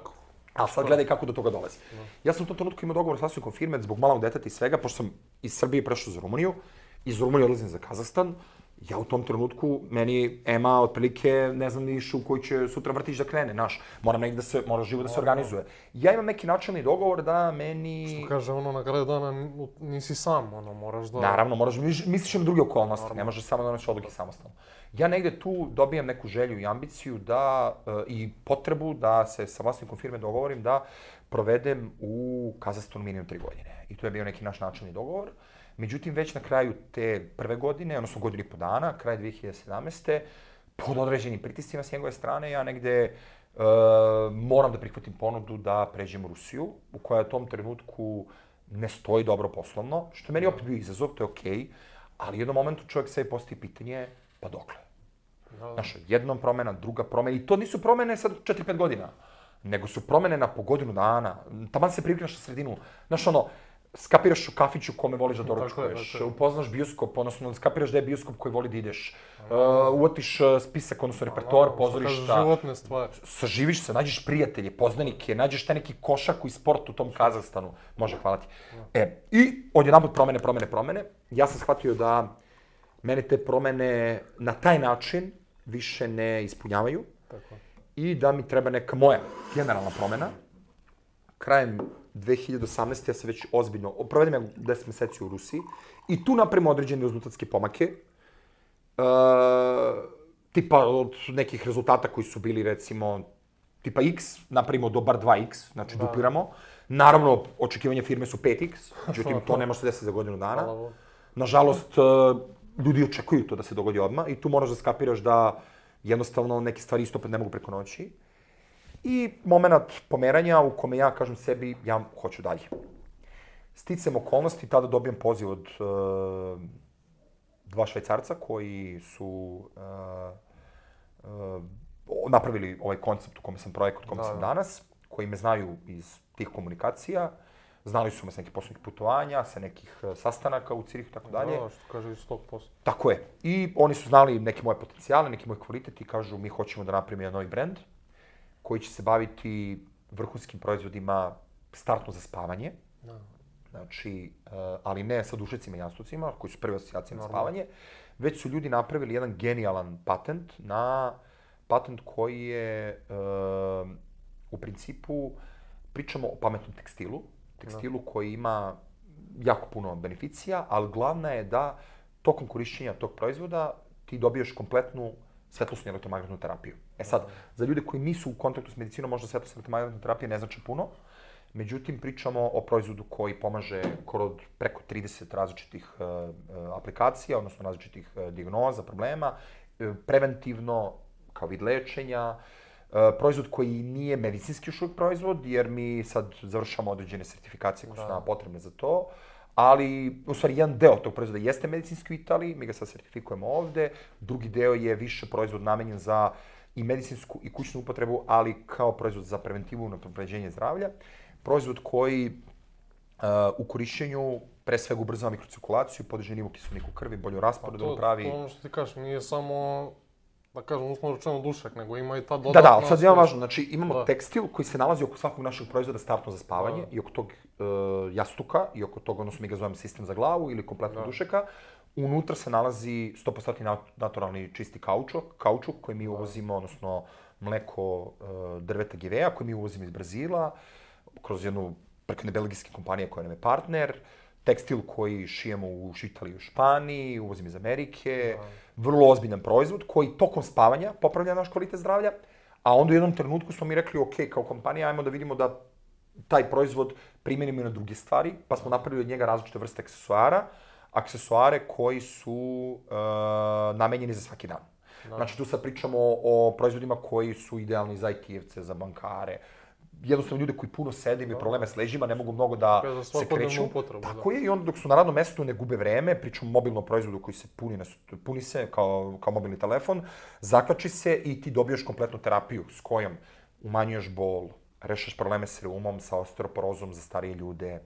A sad gledaj kako do toga dolazi. Ja sam u tom trenutku imao dogovor s vlasnikom firme zbog malog deteta i svega, pošto sam iz Srbije prešao za Rumuniju, iz Rumunije odlazim za Kazahstan. Ja u tom trenutku, meni Ema otprilike ne znam ni u koji će sutra vrtić da krene, znaš, moram negdje da se, mora živo da se organizuje. Ja imam neki načelni dogovor da meni... Što kaže, ono, na kraju dana nisi sam, ono, moraš da... Naravno, moraš, misliš na druge okolnosti, ne možeš samo da doneš odluke samostalno. Ja negde tu dobijam neku želju i ambiciju da, i potrebu da se sa vlasnikom firme dogovorim da provedem u Kazahstanu minimum tri godine. I to je bio neki naš načelni dogovor. Međutim, već na kraju te prve godine, odnosno godinu i po dana, kraj dve hiljade sedamnaeste. pod određenim pritiscima s njegove strane, ja negde uh, moram da prihvatim ponudu da pređem u Rusiju, u koja u tom trenutku ne stoji dobro poslovno, što je meni opet bio izazov, to je okej, okay, ali u jednom momentu čovjek sebi postavi pitanje, pa dokle? Znaš, jednom promena, druga promena, i to nisu promene sad četiri pet godina, nego su promene na po godinu dana, taman se privikneš na sredinu, znaš ono, skapiraš u kafiću kome voliš da doručkuješ, upoznaš bioskop, odnosno skapiraš da je bioskop koji voli da ideš, uh, uotiš spisak, odnosno repertoar, pozorišta, životne stvari. Saživiš se, nađeš prijatelje, poznanike, nađeš taj neki košak i sport u tom Kazahstanu, može, hvala ti. E, i odjedanput promene, promene, promene, ja sam shvatio da mene te promene na taj način više ne ispunjavaju i da mi treba neka moja generalna promena. Krajem dve hiljade osamnaeste. ja se već ozbiljno, provedem ja deset meseci u Rusiji i tu napravimo određene rezultatske pomake. E, tipa od nekih rezultata koji su bili recimo tipa X, napravimo do bar dva X, znači da. dupliramo. Naravno, očekivanje firme su pet X, međutim to ne može se desiti za godinu dana. Nažalost, ljudi očekuju to da se dogodi odmah i tu moraš da skapiraš da jednostavno neke stvari isto ne mogu preko noći. I moment pomeranja u kome ja kažem sebi, ja hoću dalje. Sticam okolnosti, tada dobijem poziv od uh, dva Švajcarca koji su uh, uh, napravili ovaj koncept u kome sam projekt, u kome sam danas, koji me znaju iz tih komunikacija. Znali su me sa nekih poslovnih putovanja, sa nekih sastanaka u Cirihu i tako dalje. Da, što kaže iz tog posla. Tako je. I oni su znali neke moje potencijale, neki moj kvalitet i kažu mi hoćemo da napravimo jedan novi brend koji će se baviti vrhunskim proizvodima startno za spavanje. Da. Znači, ali ne sa dušecima i jastucima, koji su prve asocijacije na spavanje, već su ljudi napravili jedan genijalan patent na patent koji je u principu, pričamo o pametnom tekstilu, tekstilu koji ima jako puno beneficija, ali glavna je da tokom korišćenja tog proizvoda ti dobiješ kompletnu svetlosnu i elektromagnetnu terapiju. E sad, za ljude koji nisu u kontaktu s medicinom, možda svetlosna i elektromagnetna terapija ne znači puno, međutim, pričamo o proizvodu koji pomaže kod preko trideset različitih uh, aplikacija, odnosno različitih uh, dijagnoza, problema, uh, preventivno, kao vid lečenja, Uh, proizvod koji nije medicinski još uvijek proizvod, jer mi sad završamo određene sertifikacije koje su nama potrebne za to, ali, u stvari, jedan deo tog proizvoda jeste medicinski u Italiji, mi ga sad sertifikujemo ovde, drugi deo je više proizvod namenjen za i medicinsku i kućnu upotrebu, ali kao proizvod za preventivu i unapređenje zdravlja. Proizvod koji uh, u korišćenju pre svega ubrzava mikrocirkulaciju, podiže nivo kiselnika u krvi, bolju rasporedu pravi. To ono što ti kažeš, nije samo, da kažem, uslovno rečeno dušak, nego ima i ta dodatna... Da, da, sad je važno, znači imamo da. tekstil koji se nalazi oko svakog našeg proizvoda startno za spavanje da. i oko tog uh, jastuka i oko tog, odnosno mi ga zovemo sistem za glavu ili kompletno da. dušeka. Unutra se nalazi sto posto naturalni čisti kaučuk, kaučuk koji mi uvozimo, odnosno mleko uh, drveta Gevea koji mi uvozimo iz Brazila, kroz jednu preko jedne belgijske kompanije koja nam je partner, tekstil koji šijemo u Italiji i u Španiji, uvozimo iz Amerike, da. vrlo ozbiljan proizvod koji tokom spavanja popravlja naš kvalitet zdravlja, a onda u jednom trenutku smo mi rekli, ok, kao kompanija, ajmo da vidimo da taj proizvod primenimo i na druge stvari, pa smo napravili od njega različite vrste aksesuara, aksesuare koji su uh, namenjeni za svaki dan. Da. Znači, tu sad pričamo o proizvodima koji su idealni za I T-evce, za bankare, jednostavno ljude koji puno sede, imaju probleme s leđima, ne mogu mnogo da se kreću. Tako je, i onda dok su na radnom mestu ne gube vreme, pričamo o mobilnom proizvodu koji se puni, na, puni se kao, kao mobilni telefon, zakači se i ti dobiješ kompletnu terapiju s kojom umanjuješ bol, rešaš probleme s reumom, sa osteoporozom za starije ljude,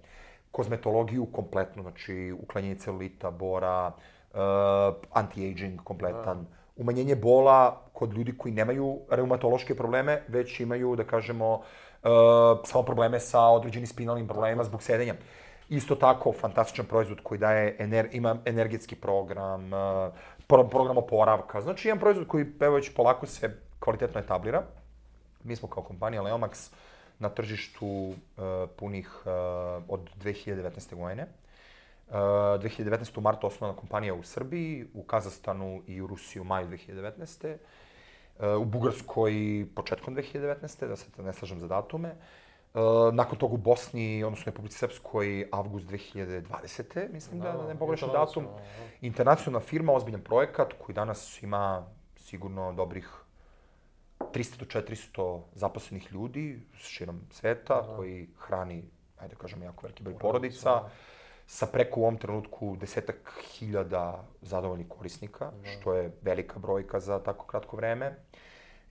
kozmetologiju kompletno, znači uklanjanje celulita, bora, uh, anti-aging kompletan, umanjenje bola kod ljudi koji nemaju reumatološke probleme, već imaju, da kažemo, uh, samo probleme sa određenim spinalnim problemima zbog sedenja. Isto tako, fantastičan proizvod koji daje, ener, ima energetski program, uh, pro, program oporavka. Znači, jedan proizvod koji, evo već polako se kvalitetno etablira. Mi smo kao kompanija Leomax na tržištu uh, punih uh, od dve hiljade devetnaeste. godine. Uh, dve hiljade devetnaeste. u martu osnovana kompanija u Srbiji, u Kazahstanu i u Rusiji u maju dve hiljade devetnaeste. Uh, u Bugarskoj početkom dve hiljade devetnaeste. da se ne slažem za datume. Uh, nakon toga u Bosni, odnosno Republici Srpskoj, avgust dve hiljade dvadesete. mislim da, da ne pogrešim datum. Internacionalna firma, ozbiljan projekat koji danas ima sigurno dobrih trista do četiristo zaposlenih ljudi širom sveta, da. koji hrani, ajde da kažem, jako veliki broj porodica, sa preko u ovom trenutku desetak hiljada zadovoljnih korisnika, da. što je velika brojka za tako kratko vreme.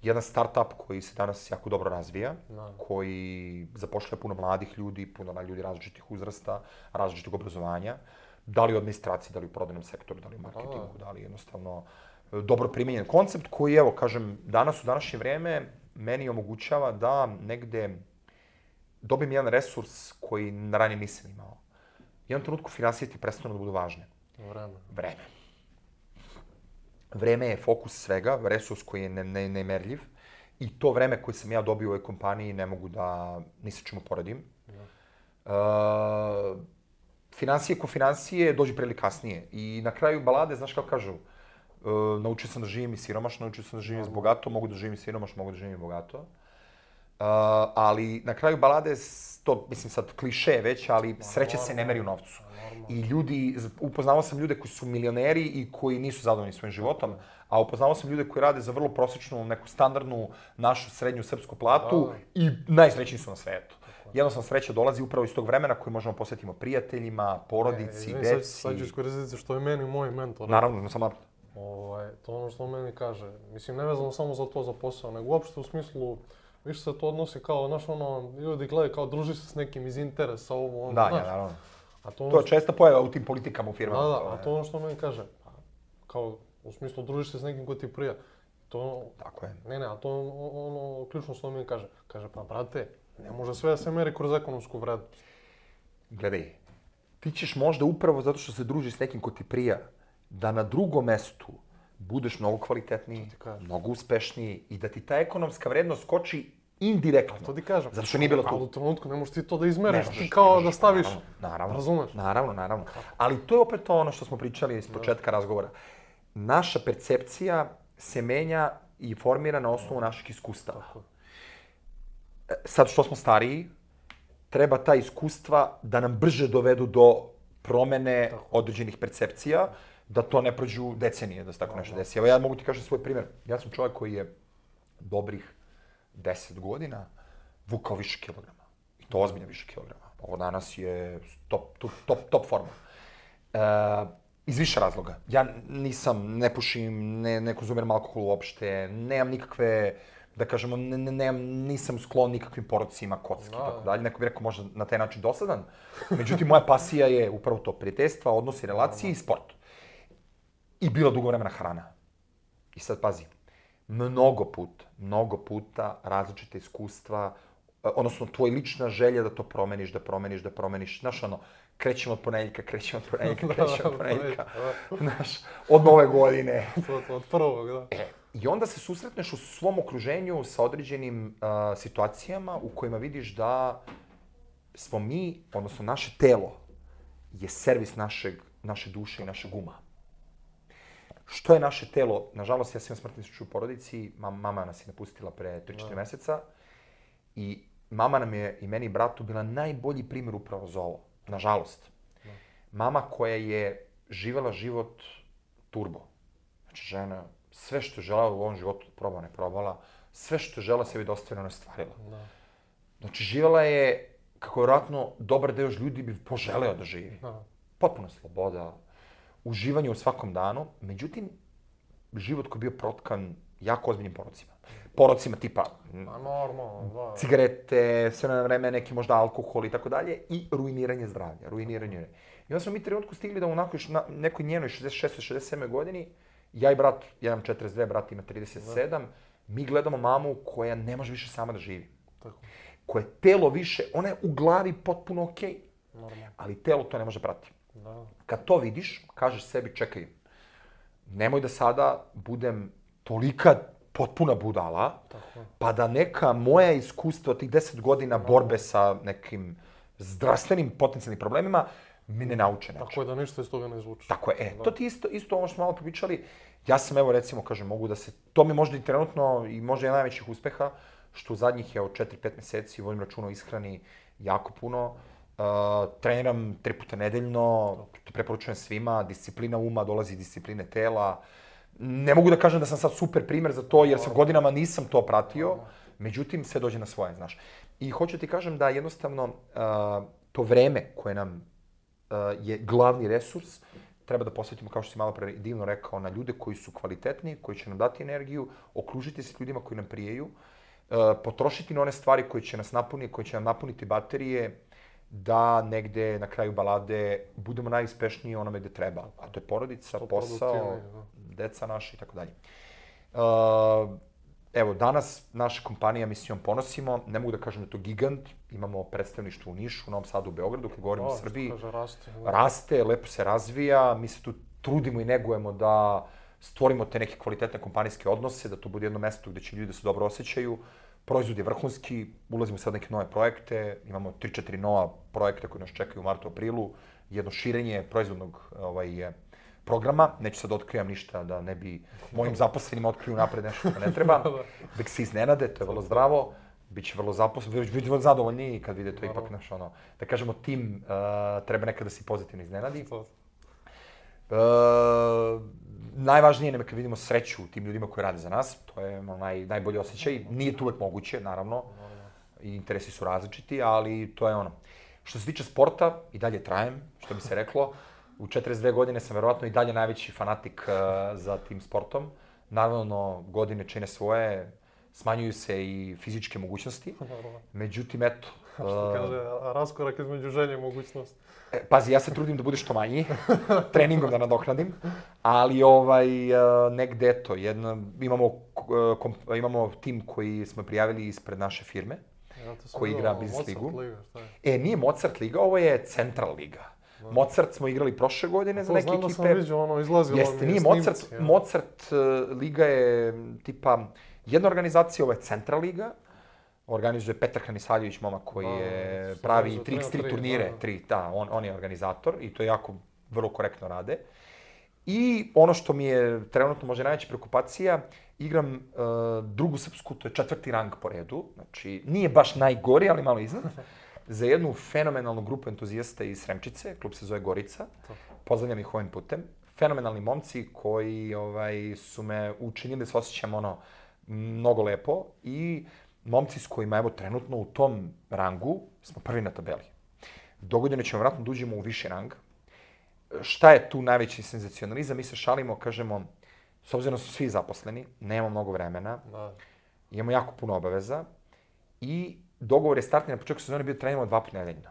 Jedan start-up koji se danas jako dobro razvija, da. koji zapošljava puno mladih ljudi, puno ljudi različitih uzrasta, različitog obrazovanja, da li u administraciji, da li u prodajnom sektoru, da li u marketingu, da, da li jednostavno dobro primenjen koncept koji, evo, kažem, danas u današnje vreme meni omogućava da negde dobijem jedan resurs koji ranije nisam imao. U jednom trenutku finansije ti prestanu da budu važne. Vreme. Vreme. Vreme je fokus svega, resurs koji je ne, ne, nemerljiv i to vreme koje sam ja dobio u ovoj kompaniji ne mogu da ni sa čemu poredim. Uh, finansije ko finansije dođu pre ili kasnije i na kraju balade, znaš kako kažu, Uh, naučio sam da živim i siromašno, naučio sam da živim s bogato, mogu da živim i siromašno, mogu da živim i bogato. Uh, ali na kraju balade, to mislim sad kliše već, ali sreća se ne meri u novcu. I ljudi, upoznao sam ljude koji su milioneri i koji nisu zadovoljni svojim životom, a upoznao sam ljude koji rade za vrlo prosječnu, neku standardnu, našu srednju srpsku platu i najsrećniji su na svetu. Jednostavno sreća dolazi upravo iz tog vremena koji možemo posvetimo prijateljima, porodici, e, deci. Sad ću iskoristiti što je meni moj mentor. Naravno, sam naravno. Ovaj, to ono što on meni kaže. Mislim, ne vezano samo za to, za posao, nego uopšte u smislu, više se to odnosi kao, znaš, ono, ljudi gledaju kao druži se s nekim iz interesa, ovo, ono, da, znaš. Ja, naravno. A to, ono to je česta pojava u tim politikama u firmama. Da, da, a to ono što on meni kaže, kao, u smislu, družiš se s nekim ko ti prija. To, tako je. Ne, ne, a to ono, ključno što on meni kaže. Kaže, pa, brate, ne može sve da se meri kroz ekonomsku vrednost. Gledaj, ti ćeš možda upravo zato što se družiš s nekim ko ti prija, da na drugom mestu budeš mnogo kvalitetniji, mnogo uspešniji i da ti ta ekonomska vrednost skoči indirektno. A to ti kažem. Zato što nije bilo tu. Ali u trenutku ne možeš ti to da izmeriš, ti kao možeš, da staviš, naravno, razumeš? Naravno, naravno. Ali to je opet ono što smo pričali iz početka razgovora. Naša percepcija se menja i formira na osnovu naših iskustava. Sad što smo stariji, treba ta iskustva da nam brže dovedu do promene određenih percepcija, da to ne prođu decenije, da se tako nešto desi. Evo ja mogu ti kažem svoj primjer. Ja sam čovjek koji je dobrih deset godina vukao više kilograma. I to ozbiljno više kilograma. Ovo danas je top, top, top forma. E, iz više razloga. Ja nisam, ne pušim, ne, ne konzumiram alkohol uopšte, nemam nikakve, da kažemo, ne, ne, nemam, nisam sklon nikakvim porocima, kocki i tako dalje. Neko bi rekao možda na taj način dosadan. Međutim, moja pasija je upravo to, prijateljstva, odnosi, relacije i sport. I bila dugo vremena hrana. I sad pazi, mnogo puta, mnogo puta različite iskustva, odnosno tvoj lična želja da to promeniš, da promeniš, da promeniš. Znaš, ono, krećemo od ponedjeljka, krećemo od ponedjeljka, krećemo od ponedjeljka. Znaš, od nove godine. Od prvog, da. E, i onda se susretneš u svom okruženju sa određenim uh, situacijama u kojima vidiš da smo mi, odnosno naše telo, je servis našeg, naše duše i našeg uma. Što je naše telo? Nažalost, ja sam imao smrtni slučaj u porodici, mama nas je napustila pre tri četiri meseca i mama nam je i meni i bratu bila najbolji primjer upravo za ovo. Nažalost. Mama koja je živela život turbo. Znači, žena sve što je želela u ovom životu probala, ne probala, sve što je želela sebi da ostvari, ona je stvarila. Znači, živela je, kako vjerojatno dobar deo ljudi bi poželeo da živi. Potpuno sloboda, uživanje u svakom danu, međutim, život koji je bio protkan jako ozbiljnim porocima. porocima tipa A normalno, da. cigarete, sve na vreme neki možda alkohol i tako dalje i ruiniranje zdravlja, ruiniranje. I onda smo mi trenutku stigli da u nekoj njenoj šezdeset šestoj šezdeset sedmoj godini, ja i brat, ja imam četrdeset dve, brat ima trideset sedam, mi gledamo mamu koja ne može više sama da živi. Tako. Koje telo više, ona je u glavi potpuno okej, Normalno. ali telo to ne može pratiti. Da. Kad to vidiš, kažeš sebi, čekaj, nemoj da sada budem tolika potpuna budala, Tako. pa da neka moja iskustva od tih deset godina borbe sa nekim zdravstvenim potencijalnim problemima mi ne nauče nešto. Tako je da ništa iz toga ne izvuče. Tako je, e, to ti isto, isto ovo što smo malo popričali, ja sam evo recimo, kažem, mogu da se, to mi možda i trenutno i možda je najvećih uspeha, što u zadnjih je od četiri pet meseci vodim računa o ishrani jako puno, uh, treniram tri puta nedeljno, to preporučujem svima, disciplina uma dolazi iz discipline tela. Ne mogu da kažem da sam sad super primer za to, jer sam godinama nisam to pratio, međutim, sve dođe na svoje, znaš. I hoću ti kažem da jednostavno uh, to vreme koje nam uh, je glavni resurs, treba da posvetimo, kao što si malo pre divno rekao, na ljude koji su kvalitetni, koji će nam dati energiju, okružiti se ljudima koji nam prijeju, uh, potrošiti na one stvari koje će nas napuniti, koje će nam napuniti baterije, da negde na kraju balade budemo najuspešniji onome gde treba. A to je porodica, posao, deca naša i tako dalje. Evo, danas naša kompanija, mi se njom ponosimo, ne mogu da kažem da je to gigant, imamo predstavništvo u Nišu, u Novom Sadu, u Beogradu, kad govorimo o Srbiji. Raste. Raste, lepo se razvija, mi se tu trudimo i negujemo da stvorimo te neke kvalitetne kompanijske odnose, da to bude jedno mesto gde će ljudi da se dobro osjećaju. Proizvod je vrhunski, ulazimo sad neke nove projekte, imamo tri četiri nova projekta koji nas čekaju u martu, aprilu, jedno širenje proizvodnog ovaj, programa, neću sad otkrivam ništa da ne bi mojim zaposlenima otkriju napred nešto što ne treba, da se iznenade, to je vrlo zdravo, bit će vrlo zaposleni, bit će vrlo zadovoljni kad vide to ipak naš ono, da kažemo tim uh, treba nekada da se pozitivno iznenadi. Uh, najvažnije nam je kad vidimo sreću u tim ljudima koji rade za nas, to je naj, najbolji osjećaj, nije to uvek moguće, naravno, i interesi su različiti, ali to je ono. Što se tiče sporta, i dalje trajem, što bi se reklo, u četrdeset dve godine sam verovatno i dalje najveći fanatik uh, za tim sportom. Naravno, godine čine svoje, smanjuju se i fizičke mogućnosti, međutim, eto... A što kaže, raskorak između želje i mogućnosti. E, pazi, ja se trudim da bude što manji, treningom da nadoknadim, ali ovaj, negde, eto, jedna, imamo, kom, imamo tim koji smo prijavili ispred naše firme, ja, koji igra Business ligu. Liga, šta je? E, nije Mozart liga, ovo je Central liga. Da. Mozart smo igrali prošle godine za neke ekipe. To znam da sam vidio, ono, izlazilo Jeste, nije Mozart, ja. Mozart uh, liga je tipa jedna organizacija, ovo je Central liga. Organizuje Petar Hanisaljević, momak koji da, je pravi tri iks tri turnire, da, tri, da on, on je organizator i to jako vrlo korektno rade. I ono što mi je trenutno možda najveća preokupacija, igram uh, drugu srpsku, to je četvrti rang po redu, znači nije baš najgori, ali malo iznad, za jednu fenomenalnu grupu entuzijasta iz Sremčice, klub se zove Gorica, pozdravljam ih ovim putem. Fenomenalni momci koji ovaj, su me učinili da se osjećam ono, mnogo lepo i momci s kojima, evo, trenutno u tom rangu smo prvi na tabeli. Dogodine ćemo vratno da uđemo u viši rang. Šta je tu najveći senzacionalizam? Mi se šalimo, kažemo, s obzirom da su svi zaposleni, nemamo mnogo vremena, da. Imamo jako puno obaveza i dogovor je startni na početku sezone bio treniramo dva puta nedeljno.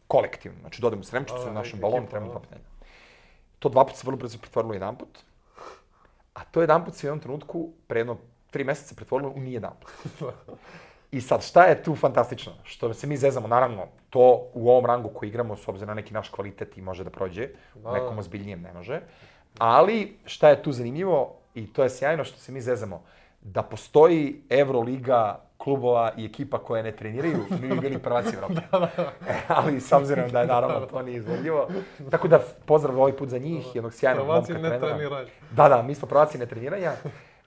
Kolektivno. Znači, dodamo u Sremčicu, u našem balonu, treniramo dva puta nedeljno. To dva puta se vrlo brzo pretvorilo jedan put, a to jedan put se u jednom trenutku, pre jedno tri meseca pretvorilo u nijedan put. I sad, šta je tu fantastično? Što se mi zezamo, naravno, to u ovom rangu koji igramo, s obzirom na neki naš kvalitet i može da prođe, u nekom ozbiljnijem ne može. Ali, šta je tu zanimljivo, i to je sjajno što se mi zezamo, da postoji Euroliga klubova i ekipa koje ne treniraju, mi bi bili prvaci Evrope. Ali, s obzirom da je, naravno, to nije izvodljivo. Tako da, pozdrav ovaj put za njih, jednog sjajnog momka trenera. Prvaci ne treniranja. Da, da, mi smo prvaci ne treniranja.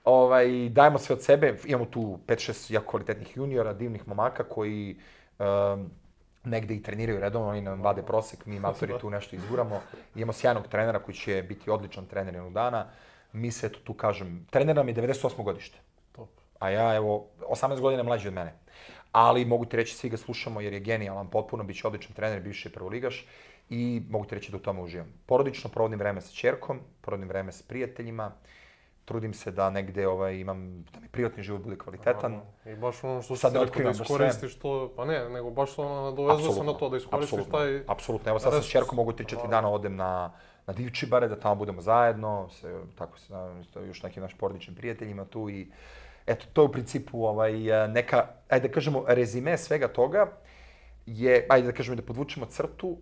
Ovaj, dajemo sve od sebe, imamo tu pet šest jako kvalitetnih juniora, divnih momaka koji um, negde i treniraju redovno, oni nam vade prosek, mi matori tu nešto izguramo. Imamo sjajnog trenera koji će biti odličan trener jednog dana. Mi se, eto tu kažem, trener nam je devedeset osmo godište. Top. A ja, evo, osamnaest godina mlađi od mene. Ali mogu ti reći, svi ga slušamo jer je genijalan potpuno, bit će odličan trener, bivši je prvoligaš i mogu ti reći da u tome uživam. Porodično provodim vreme sa ćerkom, provodim vreme s prijateljima, trudim se da negde ovaj, imam, da mi privatni život bude kvalitetan. I baš ono što si rekao da iskoristiš to, pa ne, nego baš ono nadovezuje se na to da iskoristiš taj... Apsolutno, evo sad sa čerkom mogu tri četiri dana odem na, na Divčibare, da tamo budemo zajedno, se, tako se, još nekim našim porodičnim prijateljima tu i eto, to je u principu ovaj, neka, ajde da kažemo, rezime svega toga je, ajde da kažemo da podvučemo crtu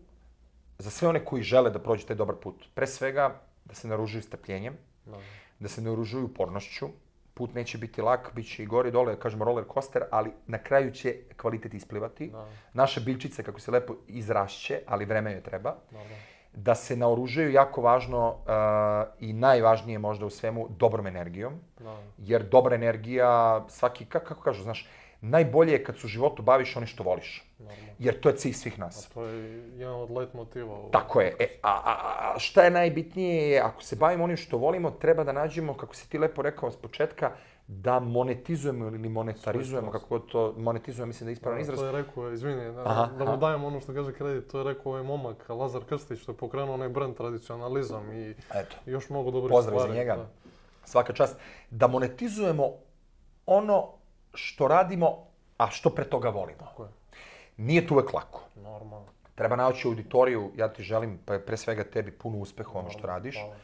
za sve one koji žele da prođu taj dobar put. Pre svega, da se naoružuju strpljenjem, no. da se naoružuju upornošću. Put neće biti lak, bit će i gore i dole, kažemo roller coaster, ali na kraju će kvalitet isplivati. No. Naše biljčice, kako se lepo izrašće, ali vreme joj treba. No, no. Da se naoružaju, jako važno uh, i najvažnije možda u svemu, dobrom energijom. No. Jer dobra energija, svaki, kako, kako kažu, znaš, najbolje je kad se u životu baviš onim što voliš. Normalno. Jer to je cilj svih nas. A to je jedan od let motiva. Tako je. E, a, a, a šta je najbitnije je, ako se bavimo onim što volimo, treba da nađemo, kako si ti lepo rekao s početka, da monetizujemo ili monetarizujemo, kako to monetizujemo, mislim da je ispravan izraz. To je rekao, izvini, da, aha, da mu dajem ono što kaže kredit, to je rekao ovaj momak, Lazar Krstić, što je pokrenuo onaj brand tradicionalizam i eto, još mnogo dobrih stvari. Pozdrav za njega. Da. Svaka čast. Da monetizujemo ono što radimo, a što pre toga volimo. Tako je. Nije to uvek lako. Normalno. Treba naći auditoriju, ja ti želim, pa pre svega tebi, puno uspeha ono što radiš. Hvala.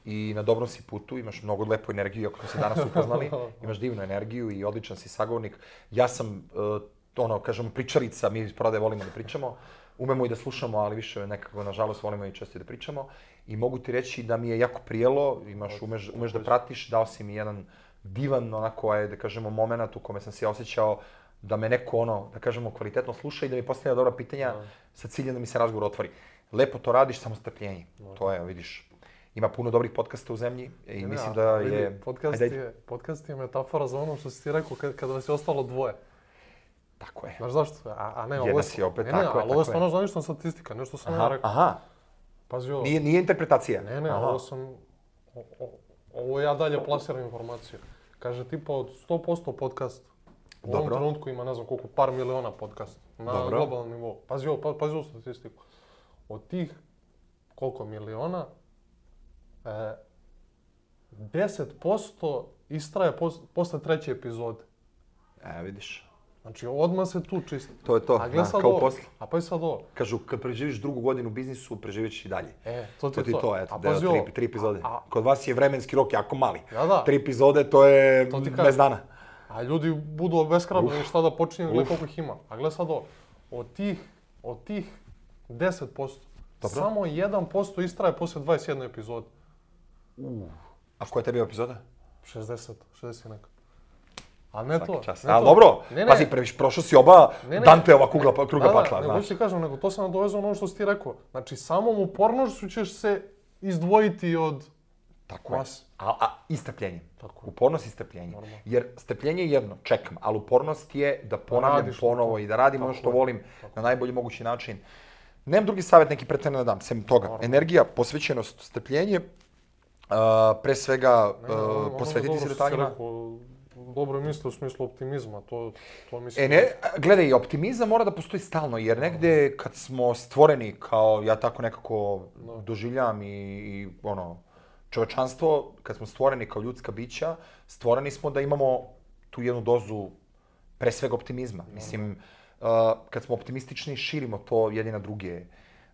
I na dobrom si putu, imaš mnogo lepu energiju, ako smo se danas upoznali, imaš divnu energiju i odličan si sagovornik. Ja sam, uh, ono, kažemo, pričarica, mi iz prodaje volimo da pričamo, umemo i da slušamo, ali više nekako, nažalost, volimo i često da pričamo. I mogu ti reći da mi je jako prijelo, imaš, umeš, umeš da pratiš, dao si mi jedan divan, onako, da kažemo, moment u kome sam se osjećao da me neko, ono, da kažemo, kvalitetno sluša i da mi postavlja dobra pitanja no. sa ciljem da mi se razgovor otvori. Lepo to radiš, samo strpljenje. No. To je, vidiš, ima puno dobrih podcasta u zemlji i ne, mislim da je... Vidi, podcast, je podcast je metafora za ono što si ti rekao kad, kada vas je ostalo dvoje. Tako je. Znaš zašto? A, a ne, ovo je... Si opet, ne, tako ne, je, ali ovo je stvarno zvanična statistika, nešto sam aha, ja rekao. Aha, pazi ovo. Nije, nije interpretacija? Ne, ne, aha. ovo sam... O, o, ovo ja dalje plasiram informaciju. Kaže, tipa od sto posto podcast u ovom trenutku ima, ne znam koliko, par miliona podcast na dobro. globalnom nivou. Pazi ovo, pa, pazi ovo statistiku. Od tih koliko miliona, e, deset posto istraje pos, posle treće epizode. E, vidiš. Znači, odmah se tu čisti. To je to, a da, kao ovo. posle. A pa i sad ovo. Kažu, kad preživiš drugu godinu u biznisu, preživit ćeš i dalje. E, to ti to. je to. to, eto, da, tri, tri epizode. A, a, a, Kod vas je vremenski rok jako mali. Ja, da. Tri epizode, to je to bez dana. A ljudi budu obeshrabljeni šta da počinju, gledaj koliko ih ima. A gledaj sad ovo, od tih, od tih deset posto, dobro. Samo jedan posto istraje posle dvadeset jedne epizode. Uh. A koja je tebi epizoda? šezdeset, šezdeset i neka. A ne to. Ne Ali to. Dobro, ne, ne. Pazi, previš, prošao si oba ne, ne. Danteova kugla, kruga da, pakla, da, znaš. Nego ti kažem, nego to sam nadovezao ono što si ti rekao. Znači, samom upornošću ćeš se izdvojiti od Tako mas. je. A, a i strpljenje. Upornost i strpljenje. Normalno. Jer strpljenje je jedno, čekam, ali upornost je da ponavljam da ponovo to. I da radim ono što volim tako. Na najbolji mogući način. Nemam drugi savjet neki pretjerano da dam, sem toga. Normalno. Energija, posvećenost, strpljenje, uh, pre svega uh, ne, ono, posvetiti ono se detaljima. Dobro misli u smislu optimizma, to, to mislim... E ne, gledaj, optimizam mora da postoji stalno, jer negde kad smo stvoreni kao, ja tako nekako no. doživljam i, i ono, čovečanstvo, kad smo stvoreni kao ljudska bića, stvoreni smo da imamo tu jednu dozu pre svega optimizma. No. Mislim, uh, kad smo optimistični, širimo to jedni na druge.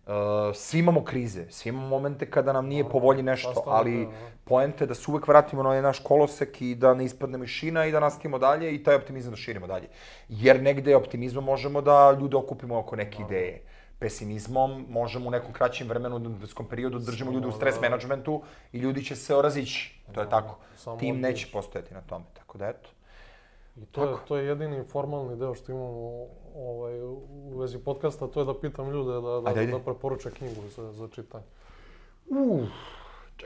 Uh, svi imamo krize, svi imamo momente kada nam nije po volji nešto, ali poenta je da se uvek vratimo na naš kolosek i da ne ispadnemo iz šina i da nastavimo dalje i taj optimizam da širimo dalje. Jer negde optimizmom možemo da ljude okupimo oko neke ideje. Pesimizmom možemo u nekom kraćem vremenu, u detskom periodu, držimo ljude u stres menadžmentu i ljudi će se orazići. To je tako. Tim neće postojati na tome, tako da eto. I to je, to je jedini formalni deo što imamo ovaj, u vezi podcasta, to je da pitam ljude da, da, da, da preporuče knjigu za, za čitanje. Uh,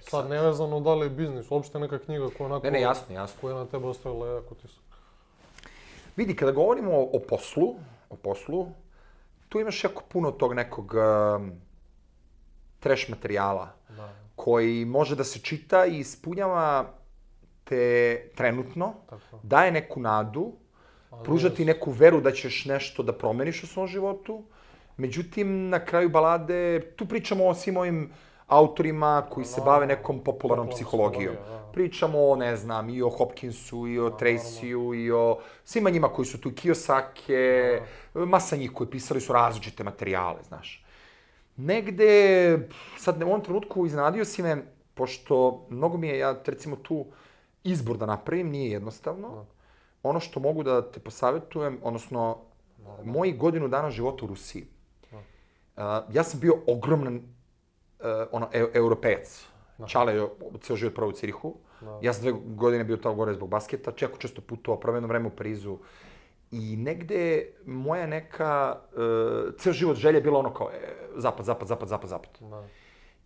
sad, nevezano da li je biznis, uopšte neka knjiga koja, onako, ne, ne, jasno, jasno. koja je na tebe ostavila jako tisak. Vidi, kada govorimo o, o poslu, o poslu, tu imaš jako puno tog nekog um, trash materijala da. Koji može da se čita i ispunjava te trenutno, tako. Daje neku nadu, ali pružati neku veru da ćeš nešto da promeniš u svom životu. Međutim, na kraju balade, tu pričamo o svim ovim autorima koji se No, bave nekom popularnom popularnom psihologijom. psihologijom, da. Pričamo o, ne znam, i o Hopkinsu, i o Tracyu, i o svima njima koji su tu, Kiyosake, masa njih koji pisali su različite materijale, znaš. Negde, sad u ovom trenutku iznenadio si me, pošto mnogo mi je, ja recimo tu izbor da napravim, nije jednostavno. Ono što mogu da te posavjetujem, odnosno, moji godinu dana života u Rusiji. Uh, ja sam bio ogroman uh, ono, e europejac. Čale je ceo život proveo u Cirihu. Ja sam dve godine bio tamo gore zbog basketa, čeko često putovao, proveo jedno vreme u Parizu. I negde moja neka, uh, ceo život želja je bila ono kao e, zapad, zapad, zapad, zapad, zapad. Da.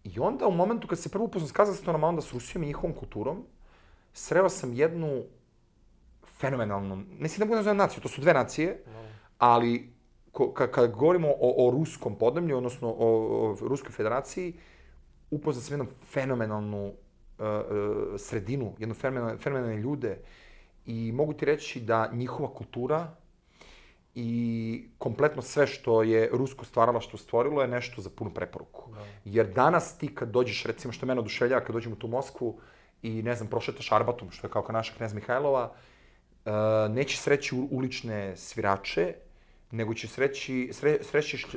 I onda u momentu kad se prvo upoznam s Kazahstanom, a onda s Rusijom i njihovom kulturom, sreo sam jednu fenomenalnu, ne si da budem nazvam naciju, to su dve nacije, da. Ali ko, ka, kad govorimo o, o ruskom podneblju, odnosno o, o Ruskoj federaciji, upoznam sam jednu fenomenalnu uh, uh, sredinu, jednu fenomenalne, fenomenalne ljude i mogu ti reći da njihova kultura i kompletno sve što je rusko stvaralaštvo stvorilo je nešto za punu preporuku. Da. Jer danas ti kad dođeš, recimo što mene oduševljava, kad dođem u tu Moskvu i ne znam, prošetaš Arbatom, što je kao naša Knez Mihajlova, uh, nećeš sreći ulične svirače, nego ćeš sreći, sre, srećiš uh,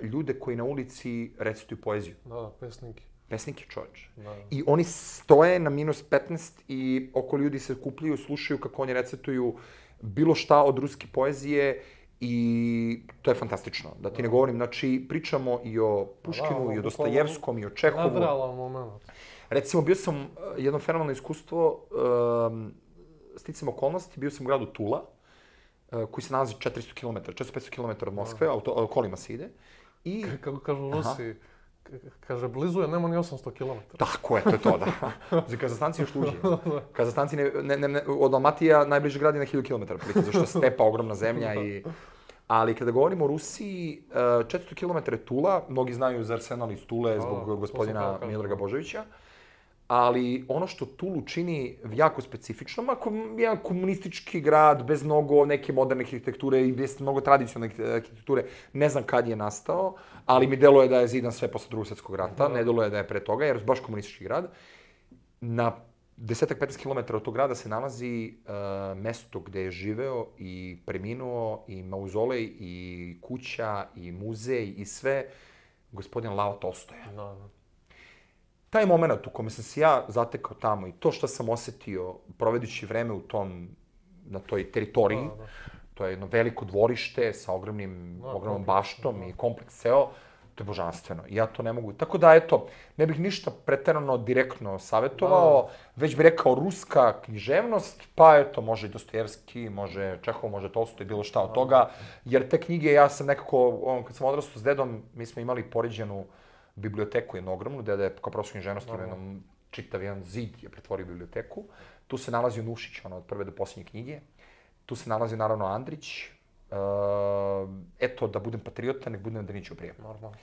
ljude koji na ulici recituju poeziju. Da, da, pesnike. Pesnike, čovječ. Da, da. I oni stoje na minus petnaest i oko ljudi se kupljaju, slušaju kako oni recituju bilo šta od ruske poezije i to je fantastično. Da ti ne govorim, znači pričamo i o Puškinu, da, i o Dostojevskom, i o Čehovu. Nadrealan moment. Recimo, bio sam jedno fenomenalno iskustvo, um, sticam okolnosti, bio sam u gradu Tula, uh, koji se nalazi četiristo kilometara, četiristo do petsto kilometara od Moskve, auto, kolima se ide. I... Kako kažu Rusi, kaže, blizu je, nema ni osamsto kilometara. Tako je, to je to, da. Za Kazahstanci još luđe. Kazahstanci, ne, ne, ne, od Almatija najbliže grad je na hiljadu kilometara, zato što je stepa, ogromna zemlja i... Ali kada govorimo o Rusiji, četiristo kilometara je Tula, mnogi znaju za Arsenal iz Tule zbog gospodina Miodraga Božovića, ali ono što Tulu čini jako specifično, ako je jedan komunistički grad bez mnogo neke moderne arhitekture i bez mnogo tradicionalne arhitekture, ne znam kad je nastao, ali mi deluje da je zidan sve posle Drugog svjetskog rata, ne deluje da je pre toga, jer je baš komunistički grad. Na desetak do petnaest kilometara od tog grada se nalazi uh, mesto gde je živeo i preminuo, i mauzolej, i kuća, i muzej, i sve, gospodin Lao Tolstoja. Da, da. Taj moment u kome sam se ja zatekao tamo i to što sam osetio provedući vreme u tom, na toj teritoriji, da, da. To je jedno veliko dvorište sa ogromnim, da, ogromnom baštom da. I kompleks ceo, to je božanstveno. I ja to ne mogu. Tako da, eto, ne bih ništa preterano direktno savjetovao, da. Već bih rekao ruska književnost, pa eto, može i Dostojevski, može Čehov, može Tolstoj, bilo šta od toga, jer te knjige, ja sam nekako, on, kad sam odrastao s dedom, mi smo imali poređenu biblioteku, jednu ogromnu, deda je kao profesor književnosti, ima jednom čitav jedan zid je pretvorio biblioteku. Tu se nalazio Nušić, ono, od prve do posljednje knjige. Tu se nalazio, naravno, Andrić. Uh, eto, da budem patriota, nek budem Danićev prijatelj. Normalno.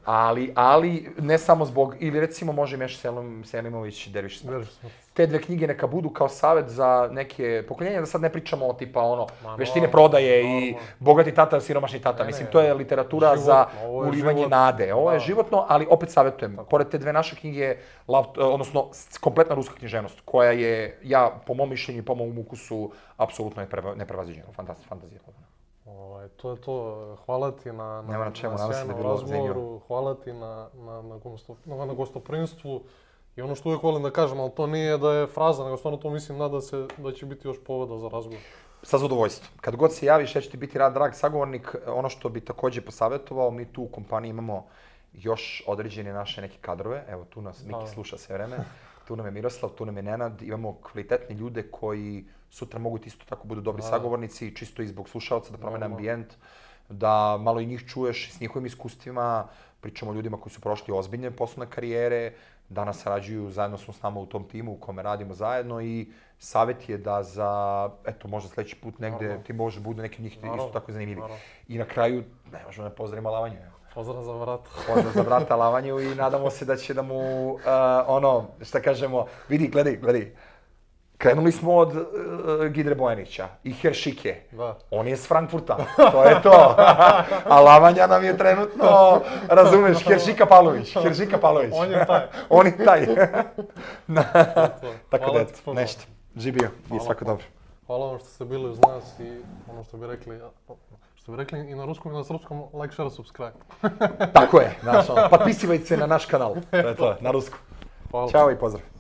ali, ali, ne samo zbog, ili recimo može Meša Selim, Selimović, Derviš smrt. Te dve knjige neka budu kao savjet za neke pokoljenja, da sad ne pričamo o tipa ono, Ma, veštine prodaje no, i no. Bogati tata, siromašni tata. Ne, Mislim, to je literatura životno, za ulivanje život, nade. Ovo je da. Životno, ali opet savjetujem. Tako. Pored te dve naše knjige, odnosno kompletna ruska književnost, koja je, ja, po mom mišljenju i po mom ukusu, apsolutno neprevaziđena. Fantazija. Ovaj, to je to. Hvala ti na, na, na, čemu, na sjajnom razgovoru, hvala ti na, na, na, gosto, na, na gostoprinstvu. I ono što uvijek volim da kažem, ali to nije da je fraza, nego stvarno to mislim nada se da će biti još povoda za razgovor. Sa zadovoljstvom. Kad god se javiš, ja ću ti biti rad, drag sagovornik. Ono što bi također posavjetovao, mi tu u kompaniji imamo još određene naše neke kadrove. Evo, tu nas Miki sluša sve vreme. Tu nam je Miroslav, tu nam je Nenad. Imamo kvalitetne ljude koji sutra mogu isto tako budu dobri sagovornici, čisto i zbog slušalca da promene ambijent, da malo i njih čuješ s njihovim iskustvima. Pričamo o ljudima koji su prošli ozbiljne poslovne karijere, danas sarađuju, zajedno smo s nama u tom timu u kome radimo zajedno i savjet je da za, eto, možda sljedeći put negde Naravno. Ti može budu neki od njih Naravno. Isto tako zanimljivi. Naravno. I na kraju, ne možemo ne pozdravimo Lavanju. Pozdrav za vrata. Pozdrav za vrata Lavanju i nadamo se da će da mu, uh, ono, šta kažemo, vidi, gledaj, gledaj. Krenuli smo od uh, Gidre Bojanića i Heršike. Da. On je s Frankfurta, to je to. A Lavanja nam je trenutno, razumeš, Heršika Pavlović, Heršika Pavlović. On je taj. On je taj. Tako Hvala da, ti puno. nešto. Živio i svako dobro. Hvala vam što ste bili uz nas i ono što bi rekli, što bi rekli i na ruskom i na srpskom, like, share, subscribe. Tako je, znaš, ono, potpisivajte se na naš kanal, to je to, na rusku. Hvala. Ćao i pozdrav.